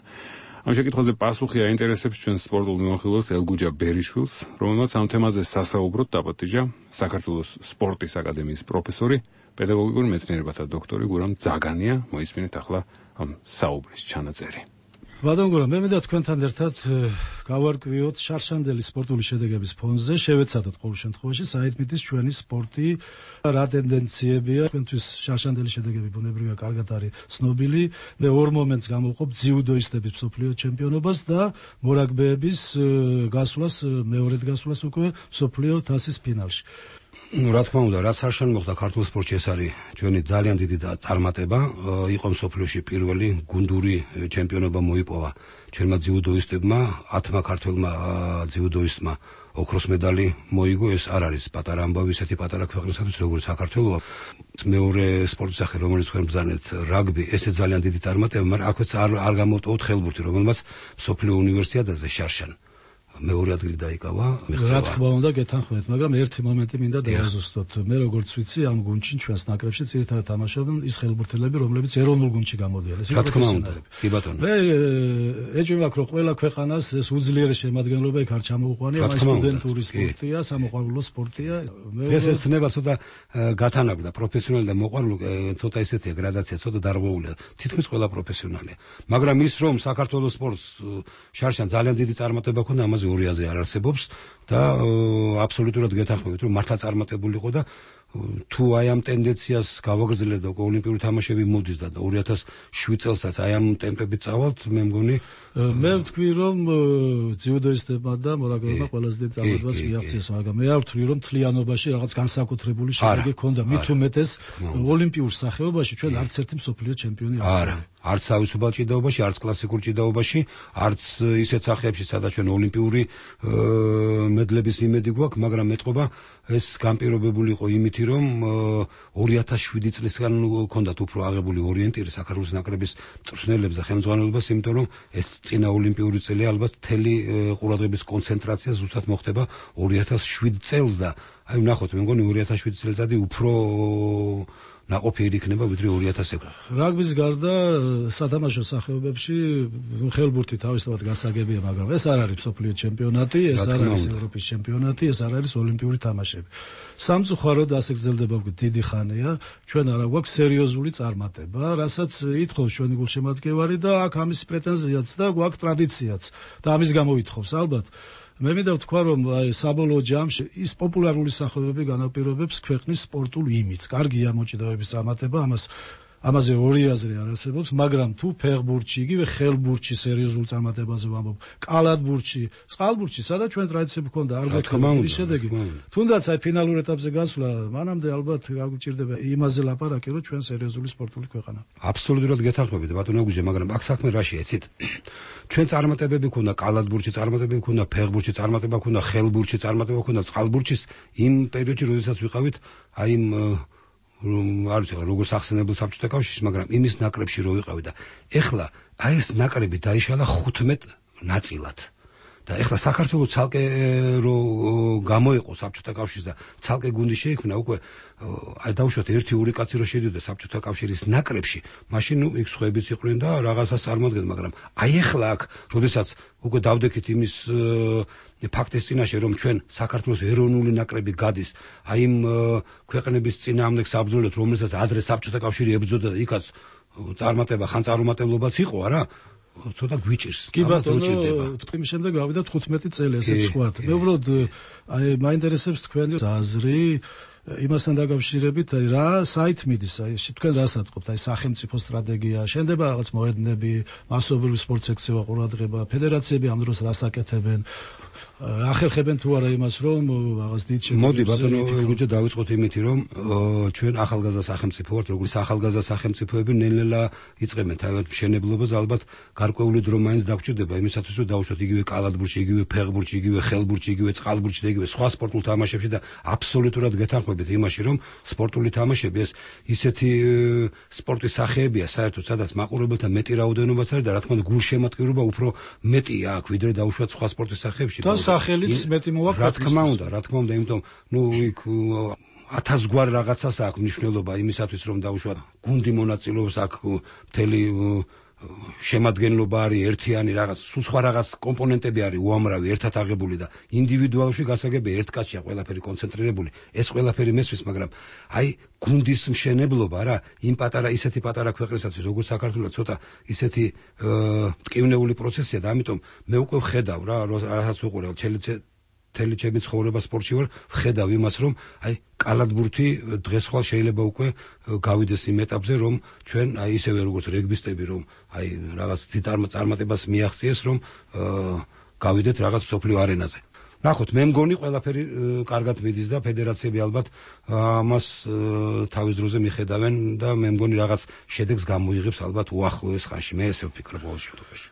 ამ შეკითხვაზე პასუხი აინტერესებს ჩვენ სპორტულ მიმოხილველს ელგუჯა ბერიშვილს, რომელმაც ამ თემაზე სასაუბროდ დაპატიჟა საქართველოს სპორტის აკადემიის პროფესორი, პედაგოგიკური მეცნიერებათა დოქტორი გურამ ძაგანია. მოისმინეთ ახლა ამ საუბრის ჩანაწერი. ბატონ გურამ, მე მინდა თქვენთან ერთად გავარკვიოთ შარშანდელის სპორტული შედეგების ფონზე, შევეცადოთ ყოველ შემთხვევაში საერთმიტის ჩვენი სპორტი, რა ტენდენციებია. თქვენთვის შარშანდელის შედეგები ბუნებრივია კარგად არის ცნობილი. მე ორ მომენტს გამოვყოფ ძიუდოისტების მსოფლიო ჩემპიონობას და მორაგბეების გასვლას, მეორედ გასვლას უკვე მსოფლიო თასის ფინალში. რა თქმა უნდა, რაც არ შემოხდა ქართულ სპორტში, ეს არის ჩვენი ძალიან დიდი წარმატება. იყო მსოფლიოში პირველი გუნდური ჩემპიონობა მოიპოვა ჩვენმა ძიუდოისტებმა, 10 ქართველმა ძიუდოისტმა ოქროს медаლი მოიგო. ეს არ არის პატარა ამბავი ისეთი პატარა ქვეყნისათვის, როგორც საქართველოა. მეორე სპორტის სახე, რომელიც თქვენ ბრძანეთ, რაგბი, ესეც ძალიან დიდი წარმატება, მაგრამ აქვეც არ გამოვტოვოთ ხელბურთი, რომელმაც მსოფლიო უნივერსიადაზე შარშან მეორე ადგილი დაიკავა. რა თქმა უნდა გეთანხმებით, მაგრამ ერთი მომენტი მინდა დავაზუსტოთ. მე როგორც ვიცი, ამ გუნდში ჩვენს ნაკრებში ძირითადად თამაშობენ ის ხელბურთელები, რომლებიც ეროვნულ გუნდში გამოდიან. ეს რა თქმა უნდა, კი ბატონო. მე ეჭვი მაქვს, რომ ყველა ქვეყანას ეს უძლიერეს შემადგენლობა იქ არ ჩამოუყვანია, მაგრამ სტუდენტური სპორტია, სამოყვარულო სპორტია. ეს ცნება ცოტა გათანაბრდა, პროფესიონალი და მოყვარული ცოტა ისეთია გრადაცია, ცოტა დარღვეულია. თითქმის ყველა პროფესიონალია. მაგრამ ის რომ საქართველოს სპორტს შარშან ძალიან დიდი წარმატება ჰქონდა, ამაზე ორიაზე არ არსებობს და აბსოლუტურად გეთანხმებით, რომ მართლა წარმატებული იყო და თუ აი ამ ტენდენციას გავაგრძელებდა ოლიმპიური თამაშები მოდის და 2007 წელსაც აი ამ ტემპებით წავალთ, მე მგონი მე ვთქვი, რომ ძიუდოისტებმა და მორაგბეებმა ყველაზე დიდი წარმატებას მიაღწიეს, მაგრამ მე არ ვთვლი, რომ თლიანობაში რაღაც განსაკუთრებული შედეგი ჰქონდა. მით უმეტეს ოლიმპიურ სახეობაში ჩვენ არც ერთი მსოფლიო ჩემპიონი არ ვართ. არც თავისუფალ ჭიდაობაში, არც კლასიკურ ჭიდაობაში, არც ისეთ სახეებში, სადაც ჩვენ ოლიმპიური მედლების იმედი გვაქვს, მაგრამ მეტყობა ეს განპირობებული იყო იმით, რომ 2007 წლისგან ჰქონდათ უფრო აღებული ორიენტირი საქართველოს ნაკრების მწვრთნელებს და ხელმძღვანელობას, იმიტომ რომ ეს წინა ოლიმპიური წელი ალბათ მთელი ყურადღების კონცენტრაცია ზუსტად მოხდება 2007 წელს და აი ვნახოთ, მე მგონი 2007 წელიწადი უფრო ნაყოფიერი იქნება ვიდრე 2006. რაგბის გარდა სათამაშო სახეობებში ხელბურთი თავისთავად გასაგებია, მაგრამ ეს არ არის მსოფლიო ჩემპიონატი, ეს არ არის ევროპის ჩემპიონატი, ეს არ არის ოლიმპიური თამაშები. სამწუხაროდ ასე გრძელდება დიდი ხანია, ჩვენ არ გვაქვს სერიოზული წარმატება, რასაც ითხოვს ჩვენი გულშემატკივარი და აქ ამის პრეტენზიაც და გვაქვს ტრადიციაც და ამის გამო ითხოვს ალბათ. მე მინდა ვთქვა, რომ საბოლოო ჯამში ის პოპულარული სახეობები განაპირობებს ქვეყნის სპორტულ იმიჯს. კარგია მოჭიდავების წარმატება, ამაზე ორი აზრი არ არსებობს, მაგრამ თუ ფეხბურთში, იგივე ხელბურთში სერიოზულ წარმატებაზე ვამბობ, კალათბურთში, წყალბურთში, სადაც ჩვენ ტრადიციები ჰქონდა, არ გვექნება შედეგი. თუნდაც აი ფინალურ ეტაპზე გასვლა, მანამდე ალბათ გაგვჭირდება იმაზე ლაპარაკი, რომ ჩვენ სერიოზული სპორტული ქვეყანა. აბსოლუტურად გეთანხმებით, ბატონო გუჯე, მაგრამ აქ საქმე რაშია, იცით? ჩვენ წარმატებები ქონდა კალათბურთში, წარმატებები ქონდა ფეხბურთში, წარმატება ქონდა ხელბურთში, წარმატება ქონდა წყალბურთში იმ პერიოდში, როდესაც ვიყავით აი იმ არის როგორც ახსენებელ საბჭოთა კავშირში, მაგრამ იმის ნაკრებში რო ვიყავი და ეხლა აი ეს ნაკრები დაიშალა 15 ნაწილად. და ეხლა საქართველოს ცალკე რო გამოიყო საბჭოთა კავშირს და ცალკე გუნდი შეიქმნა უკვე აი დავუშვათ 1-2 კაცი რო შედიოდა საბჭოთა კავშირის ნაკრებში, მაშინ იქ სხვაებიც იყვნენ და რაღაცას წარმოადგენდნენ, მაგრამ აი ეხლა აქ, როდესაც უკვე დავდექით იმის ფაქტის წინაშე, რომ ჩვენ საქართველოს ეროვნული ნაკრები გადის აი იმ ქვეყნების წინააღმდეგ საბრძოლოდ, რომელსაც ადრე საბჭოთა კავშირი ებრძოდა და იქაც წარმატება, ხან წარუმატებლობაც იყო, არა? ცოტა გვიჭირს. კი ბატონო, ტყიმის შემდეგ გავიდა 15 წელი ესეც ვთქვათ. მე უბრალოდ აი მაინტერესებს თქვენი აზრი იმასთან დაკავშირებით, აი რა საით მიდის, აი თქვენ რას ატყობთ, აი სახელმწიფო სტრატეგია, შენდება რაღაც მოედნები, მასობრივი სპორტ სექცია ყურადღება, ფედერაციები ამ დროს რას აკეთებენ? ახერხებენ თუ არა იმას, რომ რაღაც დიდ შეფერილობას. მოდი ბატონო, გუჯა დავიწყოთ იმით, რომ ჩვენ ახალგაზრდა სახელმწიფო ვართ, როგორც ახალგაზრდა სახელმწიფოები ნელ-ნელა იწყებენ თავად მშენებლობას, ალბათ გარკვეული დრო მაინც დაგჭირდება იმისათვის, რომ დავუშვათ იგივე კალათბურთში, იგივე ფეხბურთში, იგივე ხელბურთში, იგივე წყალბურთში და იგივე სხვა სპორტულ თამაშებში და აბსოლუტურად გეთანხმებით იმაში, რომ სპორტული თამაშები ეს ისეთი სპორტის სახეებია, საერთოდ სადაც მაყურებელთა მეტი რაოდენობაც არის და რა თქმა უნდა გულშემატკივრობა უფრო მეტია აქ, ვიდრე დავუშვათ სხვა სპორტის სახეებში. და სახელიც მეტი მოაქვს. რა თქმა უნდა, იმიტომ იქ 1000 გვარ რაღაცას აქვს მნიშვნელობა იმისათვის, რომ დავუშვათ გუნდი მონაწილეობს აქ მთელი შემადგენლობა არის ერთიანი რაღაც, სულ სხვა რაღაც კომპონენტები არის უამრავი ერთად აღებული და ინდივიდუალში გასაგები ერთ კაცშია ყველაფერი კონცენტრირებული. ეს ყველაფერი მესმის, მაგრამ აი გუნდის მშენებლობა რა, იმ ისეთი პატარა ქვეყნისათვის, როგორც საქართველოს ცოტა ისეთი ტკივნეული პროცესია და ამიტომ მე უკვე ვხედავ რა, რასაც უყურებ მთელი ჩემი ცხოვრება სპორტში ვარ, ვხედავ იმას, რომ აი კალათბურთი დღეს ხვალ შეიძლება უკვე გავიდეს იმ ეტაპზე, რომ ჩვენ აი ისევე როგორც რეგბისტები, რომ აი რაღაც წარმატებას მიაღწიეს, რომ გავიდეთ რაღაც მსოფლიო არენაზე. ნახოთ, მე მგონი ყველაფერი კარგად მიდის და ფედერაციები ალბათ ამას თავის დროზე მიხედავენ და მე მგონი რაღაც შედეგს გამოიღებს ალბათ უახლოეს ხანში. მე ესე ვფიქრობ ყოველ შემთხვევაში.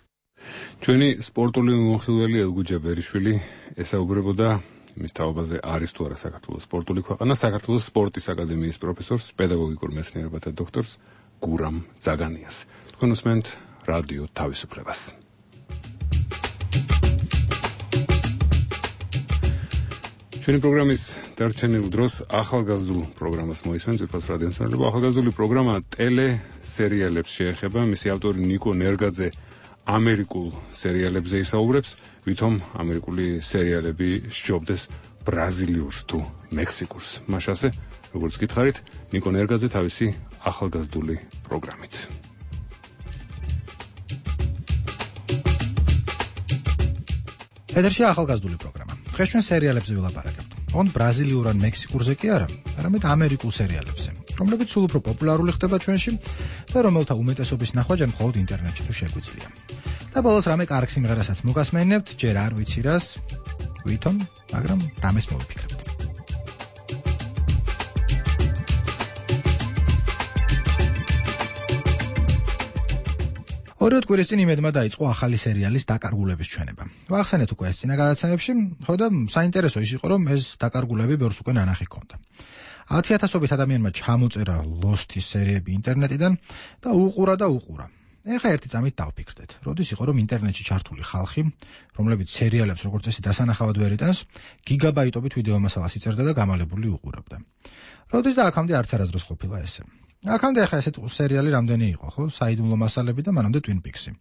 ჩვენი სპორტული მომხილველი ელგუჯა ბერიშვილი ესაუბრებოდა იმის თაობაზე, არის თუ არა საქართველოს სპორტული ქვეყანა, საქართველოს სპორტის აკადემიის პროფესორს, პედაგოგიკურ მეცნიერებათა დოქტორს გურამ ძაგანიას. თქვენ უსმენთ რადიო თავისუფლებას. ჩვენი პროგრამის დარჩენილ დროს ახალგაზრდულ პროგრამას მოისმენთ, ვიფოს რადიო მსმენელობა. ახალგაზრდული პროგრამა ტელესერიალებს შეეხება, მისი ავტორი ნიკო ნერგაძე ამერიკულ სერიალებზე ისაუბრებს, ვითომ ამერიკული სერიალები სჯობდეს ბრაზილიურს თუ მექსიკურს. მაშასე, როგორც გითხარით, ნიკო ნერგაძე თავისი ახალგაზრდული პროგრამით. ეთერში ახალგაზრდული პროგრამა. დღეს ჩვენ სერიალებზე ვილაპარაკებთ. ოღონდ ბრაზილიურ ან მექსიკურზე კი არა, არამედ ამერიკულ სერიალებზე, რომლებიც სულ უფრო პოპულარული ხდება ჩვენში და რომელთა უმეტესობის ნახვა ჯერ მხოლოდ ინტერნეტში თუ შეგვიძლია. და ბოლოს რამე კარგ სიმღერასაც მოგასმენებთ, ჯერ არ ვიცი რას, ვითომ, მაგრამ რამეს მოვიფიქრებთ. ორიოდ კვირის წინ იმედმა დაიწყო ახალი სერიალის დაკარგულების ჩვენება. ვახსენეთ უკვე ეს წინა გადაცემებში, ხო და საინტერესო ის იყო, რომ ეს დაკარგულები ბევრს უკვე ნანახი ჰქონდა. 10,000-ობით ადამიანმა ჩამოწერა Lost-ის სერიები ინტერნეტიდან და უყურა. ეხა ერთი წამით დავფიქრდეთ, როდის იყო რომ ინტერნეტში ჩართული ხალხი, რომლებიც სერიალებს როგორც წესი დასანახავად ვერ იტანს, გიგაბაიტობით ვიდეო მასალას იწერდა და გამალებული უყურებდა. როდის და აქამდე არც არასდროს ყოფილა ესე. აქამდე ახლა ესეთ სერიალი რამდენი იყო, ხო? საიდუმლო მასალები და მანამდე Twin Peaks-ი.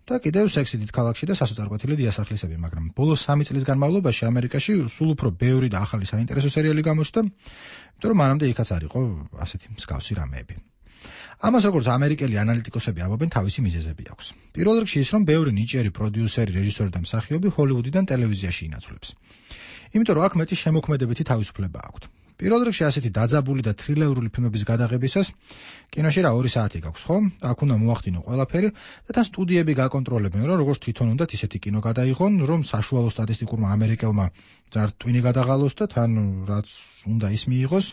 და კიდევ სექსი დიდ ქალაქში და სასოწარკვეთილი დიასახლისები, მაგრამ ბოლოს 3 წლის განმავლობაში ამერიკაში სულ უფრო ბევრი და ახალი საინტერესო სერიალი გამოჩნდა, იმიტომ რომ მანამდე იქაც არ იყო ასეთი მსგავსი რამეები. ამას როგორც ამერიკელი ანალიტიკოსები ამბობენ, თავისი მიზეზები აქვს. პირველ რიგში ის, რომ ბევრი ნიჭიერი პროდიუსერი, რეჟისორი და მსახიობი ჰოლივუდიდან ტელევიზიაში ინაცვლებს. იმიტომ რომ აქ მეტი შემოქმედებითი თავისუფლება აქვთ. პირველ რიგში ასეთი დაძაბული და თრილერული ფილმების გადაღებისას კინოში რა 2 საათი გაქვს, ხო? აქ უნდა მოახდინო ყველაფერი და თან სტუდიები გაკონტროლებენ, რომ როგორც თვითონ უნდათ ისეთი კინო გადაიღონ, რომ საშუალო სტატისტიკურმა ამერიკელმა ძართვინი გადაღალოს და თან რაც უნდა ის მიიღოს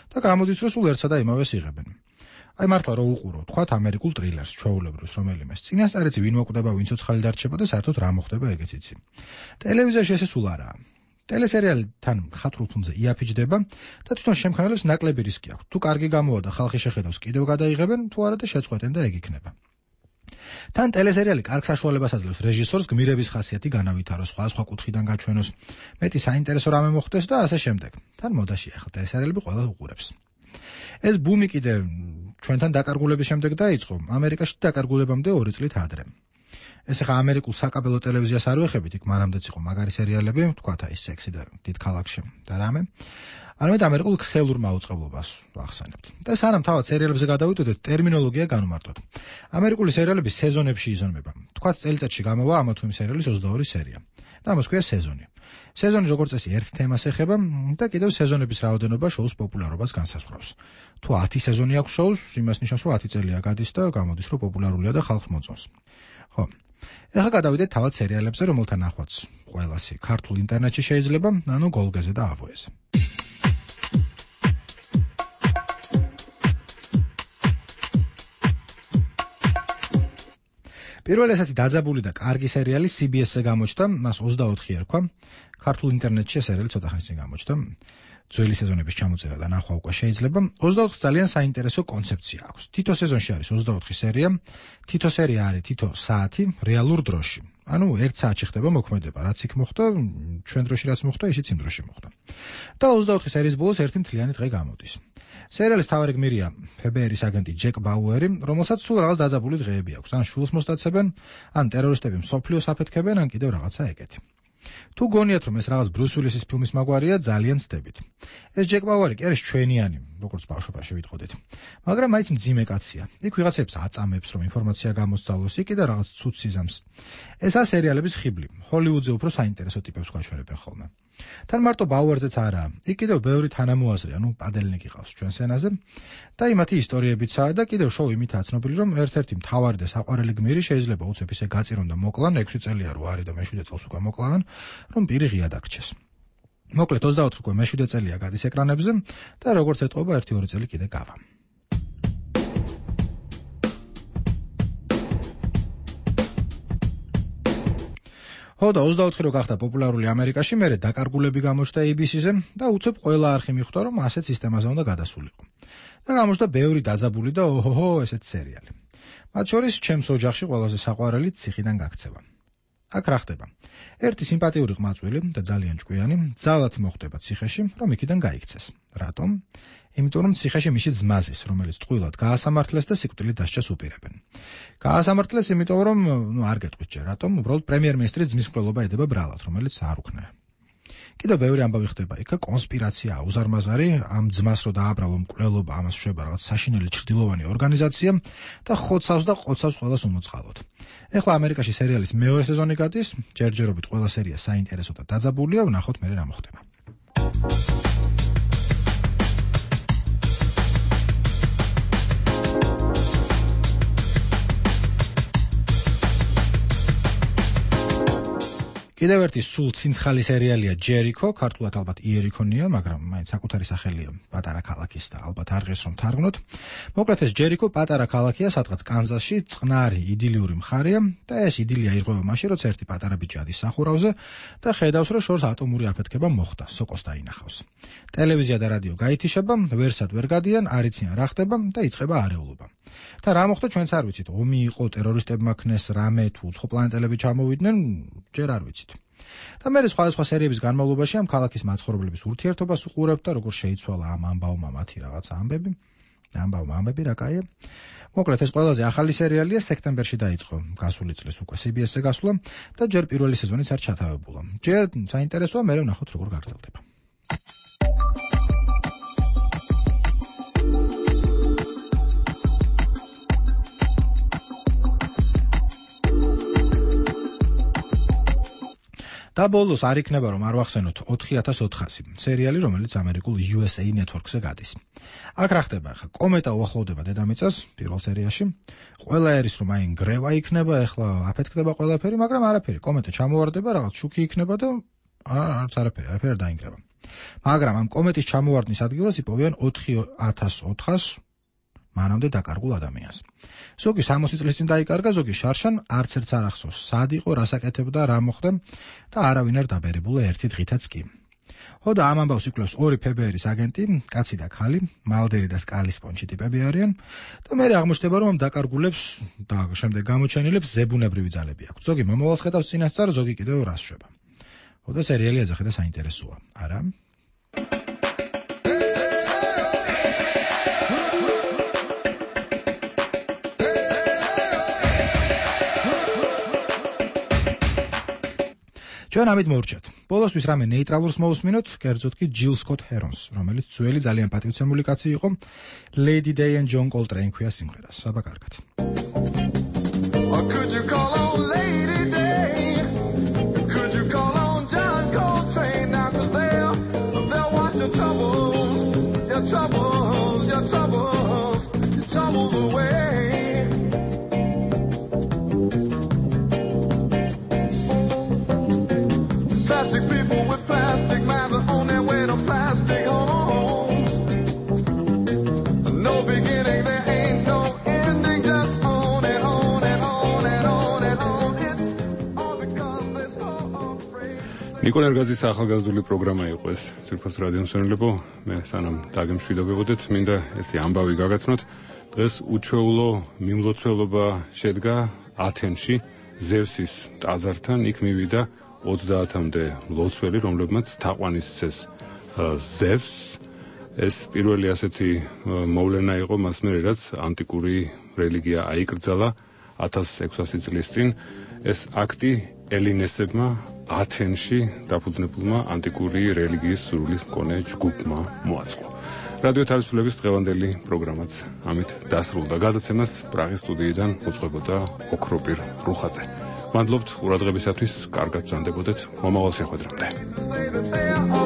და გამოდის, რომ სულ ერთსა და იმავეს იღებენ. აი მართლა რო უყურო, თქვათ ამერიკულ ტრილერს, ჩვეულებრივს რომელიმეს. წინასწარეც ვინ მოკვდება, ვინ ცოცხალი დარჩება და საერთოდ რა მოხდება ეგეც იცი. ტელევიზიაში ესე სულ არაა. ტელესერიალი თან ხატრულ ფონზე იაფიჯდება და თვითონ შემქმნელებს ნაკლები რისკი აქვს. თუ კარგი გამოვა და ხალხი შეხედავს, კიდევ გადაიღებენ, თუ არა და შეწყვეტენ და ეგ იქნება. თან ტელესერიალი კარგ საშუალებას აძლევს რეჟისორს გმირების ხასიათი განავითაროს, სხვა კუთხიდან გაჩვენოს, მეტი საინტერესო რამე მოხდეს და ასე შემდეგ. თან მოდაში ახლა ტელესერიალები ყველა უყურებს. ეს ბუმი კიდე ჩვენთან დაკარგულების შემდეგ დაიწყო, ამერიკაში დაკარგულებამდე 2 წლით ადრე. ეს ახლა ამერიკულ საკაბელო ტელევიზიას არ ვეხებით, იქ მანამდეც იყო მაგარი სერიალები, თქვათ აი სექსი და დიდ ქალაქში და რამე. არამედ ამერიკულ ქსელურ მაუწყებლობას ვახსენებთ. და სანამ თავად სერიალებზე გადავიდოდეთ, ტერმინოლოგია განვმარტოთ. ამერიკული სერიალები სეზონებში იზრდება. თქვათ წელიწადში გამოვა ამა თუ იმ სერიალის 22 სერია. და ამას ქვია სეზონი. სეზონი როგორც წესი ერთ თემას ეხება და კიდევ სეზონების რაოდენობა შოუს პოპულარობას განსაზღვრავს. თუ 10 სეზონი აქვს შოუს, იმას ნიშნავს, რომ 10 წელია გადის და გამოდის, რომ პოპულარულია და ხალხს მოწონს. ხო. ეხლა გადავიდეთ თავად სერიალებზე, რომელთა ნახვაც ყველასი ქართულ ინტერნეტში შეიძლება, ანუ გოლგეზე და ავოეზე. პირველი ესეთი დაძაბული და კარგი სერიალი CBS-ზე გამოჩნდა, მას 24 ერქვა. ქართულ ინტერნეტში ეს სერიალი ცოტა ხნის წინ გამოჩნდა. ძველი სეზონების ჩამოწერა და ნახვა უკვე შეიძლება. 24 ძალიან საინტერესო კონცეფცია აქვს. თითო სეზონში არის 24 სერია, თითო სერია არის თითო საათი რეალურ დროში. ანუ 1 საათში ხდება მოქმედება, რაც იქ მოხდა, ჩვენ დროში რაც მოხდა, ისიც იმ დროში მოხდა. და 24 სერიის ბოლოს ერთი მთლიანი დღე გამოდის. სერიალის თავარი გმირია FBI-ის აგენტი ჯეკ ბაუერი, რომელსაც სულ რაღაც დაძაბული დღეები აქვს. ან შულს მოსტაცებენ, ან ტერორისტები მსოფლიოს აფეთქებენ, ან კიდევ რაღაცა ეგეთი. თუ გონიათ, რომ ეს რაღაც ბრუს უილისის ფილმის მაგვარია, ძალიან ცდებით. ეს ჯეკ ბაუერი კი არის ჩვენიანი, როგორც ბავშვობაში ვიტყოდით. მაგრამ მაინც მძიმე კაცია. იქ ვიღაცებს აწამებს, რომ ინფორმაცია გამოსწავლოს, იქ და რაღაც ცუდ სიზამს. ესაა სერიალების ხიბლი. ჰოლივუდზე უფრო საინტერესო ტიპებს გვაჩვენებენ ხოლმე. თან მარტო ბაუერზეც არა, იქ კიდევ ბევრი თანამოაზრე, ანუ პადელნიკი ყავს ჩვენ სცენაზე და იმათი ისტორიებიცაა და კიდევ შოუ იმითაა ცნობილი, რომ ერთ-ერთი მთავარი და საყვარელი გმირი შეიძლება უცებ ისე გაწირონ და მოკლან, 6 წელია რო არის და მე-7 წელს უკვე მოკლავენ, რომ პირი ღია დაგრჩეს. მოკლედ 24 უკვე მე-7 წელია გადის ეკრანებზე და როგორც ეტყობა 1-2 წელი კიდე გავა. ხო და 24 რო გახდა პოპულარული ამერიკაში, მერე დაკარგულები გამოჩნდა ABC-ზე და უცებ ყველა არხი მიხვდა, რომ ასეთ სისტემაზე უნდა გადასულიყო. და გამოჩნდა ბევრი დაძაბული და ოჰოჰო ესეთ სერიალი. მათ შორის ჩემს ოჯახში ყველაზე საყვარელი ციხიდან გაქცევა. აქ რა ხდება? ერთი სიმპათიური ყმაწვილი და ძალიან ჭკვიანი ძალათი მოხდება ციხეში, რომ იქიდან გაიქცეს. რატომ? იმიტომ რომ ციხეში მისი ძმაზის, რომელიც ტყუილად გაასამართლეს და სიკვდილით დასჯას უპირებენ. გაასამართლეს იმიტომ რომ, არ გეტყვით ჯერ, რატომ? უბრალოდ პრემიერ-მინისტრის ძმის მკვლელობა ედება ბრალად, რომელიც არ უქნა. კიდევ ბევრი ამბავი ხდება იქ, კონსპირაცია, უზარმაზარი, ამ ძმას რო დააბრალო მკვლელობა, ამას შვება რაღაც საშინელი ჩრდილოვანი ორგანიზაცია და ხოცავს ყველას უმოწყალოდ. ეხლა ამერიკაში სერიალის მეორე სეზონი გადის, ჯერჯერობით ყველა სერია საინტერესო და დაძაბულია, ვნახოთ მერე რა მოხდება. კიდევ ერთი სულ ცინცხალი სერიალია ჯერიქო, ქართულად ალბათ იერიქონია, მაგრამ მაინც საკუთარი სახელია პატარა ქალაქის და ალბათ არ ღირს რომ თარგმნოთ. მოკლედ ეს ჯერიქო პატარა ქალაქია, სადღაც კანზასში, წყნარი იდილიური მხარეა და ეს იდილია ირღვევა მაშინ, როცა ერთი პატარა ბიჭი ადის სახურავზე და ხედავს, რომ შორს ატომური αφეთქება მოხდა, სოკოს დაინახავს. ტელევიზია და რადიო გაითიშება, ვერსად ვერ გადიან, არ იციან რა ხდება და იწყება არეულობა. და რა მოხდა ჩვენც არ ვიცით, ომი იყო, ტერორისტებმა ქნეს რამე თუ უცხო პლანეტელები ჩამოვიდნენ, ჯერ არ ვიცით. და მე სხვადასხვა სერიების განმავლობაში ამ ქალაქის მაცხოვრებლების ურთიერთობას უყურებთ და როგორ შეიცვალა ამ ამბავმა მათი რაღაცა ამბები რა კაია. მოკლედ ეს ყველაზე ახალი სერიალია, სექტემბერში დაიწყო გასული წლის უკვე CBS-ზე გასვლა და ჯერ პირველი სეზონიც არ ჩათავებულა. ჯერ საინტერესოა, მე ვნახოთ როგორ გაგრძელდება. და ბოლოს არ იქნება რომ არ ვახსენოთ 4400 სერიალი, რომელიც ამერიკულ USA Network-ზე გადის. აქ რა ხდება ახლა? კომეტა უახლოვდება დედამიწას პირველ სერიაში. ყველა ერის რომ აი ნგრევა იქნება, ახლა აფეთქდება ყველაფერი, მაგრამ არაფერი. კომეტა ჩამოვარდება, რაღაც შუქი იქნება და არც არაფერი არ დაინგრევა. მაგრამ ამ კომეტის ჩამოვარდნის ადგილას იპოვიან 4400 მანამდე დაკარგულ ადამიანს. ზოგი 60 წლის წინ დაიკარგა, ზოგი შარშან, არც ერთს არ ახსოვს, სად იყო, რას აკეთებდა, რა მოხდა და არავინ არ დაბერებულა ერთი დღითაც კი. ხოდა ამ ამბავს იკვლევს ორი ფებერის აგენტი, კაცი და ქალი, მალდერი და სკალის პონჩი ტიპები არიან და მე აღმოჩნდება რომ ამ დაკარგულებს და შემდეგ გამოჩენილებს ზებუნებრივი ძალები აქვს. ზოგი მომავალს ხედავს წინასწარ, ზოგი კიდევ რას შვება. ხოდა სერიალი ეძახი და საინტერესოა, არა? ჩვენ ამით მოვრჩეთ. ბოლოსთვის რამე ნეიტრალურს მოვუსმინოთ, კერძოდ კი ჯილ სკოტ ჰერონს, რომელიც ძველი ძალიან პატივცემული კაცი იყო, Lady Day and John Coltrane ქვია სიმღერას. საბა კარგად. Could you call on Lady Day? Could you call on John Coltrane now? 'Cause they'll watch your troubles, your troubles, your troubles, your troubles away. Plastic people with plastic minds are on their way to plastic homes. No beginning, there ain't no ending, just on and on and on and on and on. It's all because they're so afraid. ნიკოლ ერგაძის ახალგაზრდული პროგრამა იყო ეს. ძირფას რადიო მსმენელებო, მე სანამ დაგემშვიდობებოდეთ, მინდა ერთი ამბავი გაგაცნოთ. დღეს უჩვეულო მიმლოცველობა შედგა ათენში ზევსის ტაძართან, იქ მივიდა 30-მდე ლოცველი, რომლებმაც თაყვანისცეს ზევსს. ეს პირველი ასეთი მოვლენა იყო მას მერე, რაც ანტიკური რელიგია აიკრძალა 1600 წლის წინ. ეს აქტი ელინესებმა ათენში დაფუძნებულმა ანტიკური რელიგიის სურვილის მქონე ჯგუფმა მოაწყო. რადიო თავისუფლების დღევანდელი პროგრამაც ამით დასრულდა. გადაცემას პრაღის სტუდიიდან უძღვებოდა ოქროპირ რუხაძე. მადლობთ ყურადღებისათვის, კარგად ბრძანდებოდეთ, მომავალ შეხვედრამდე.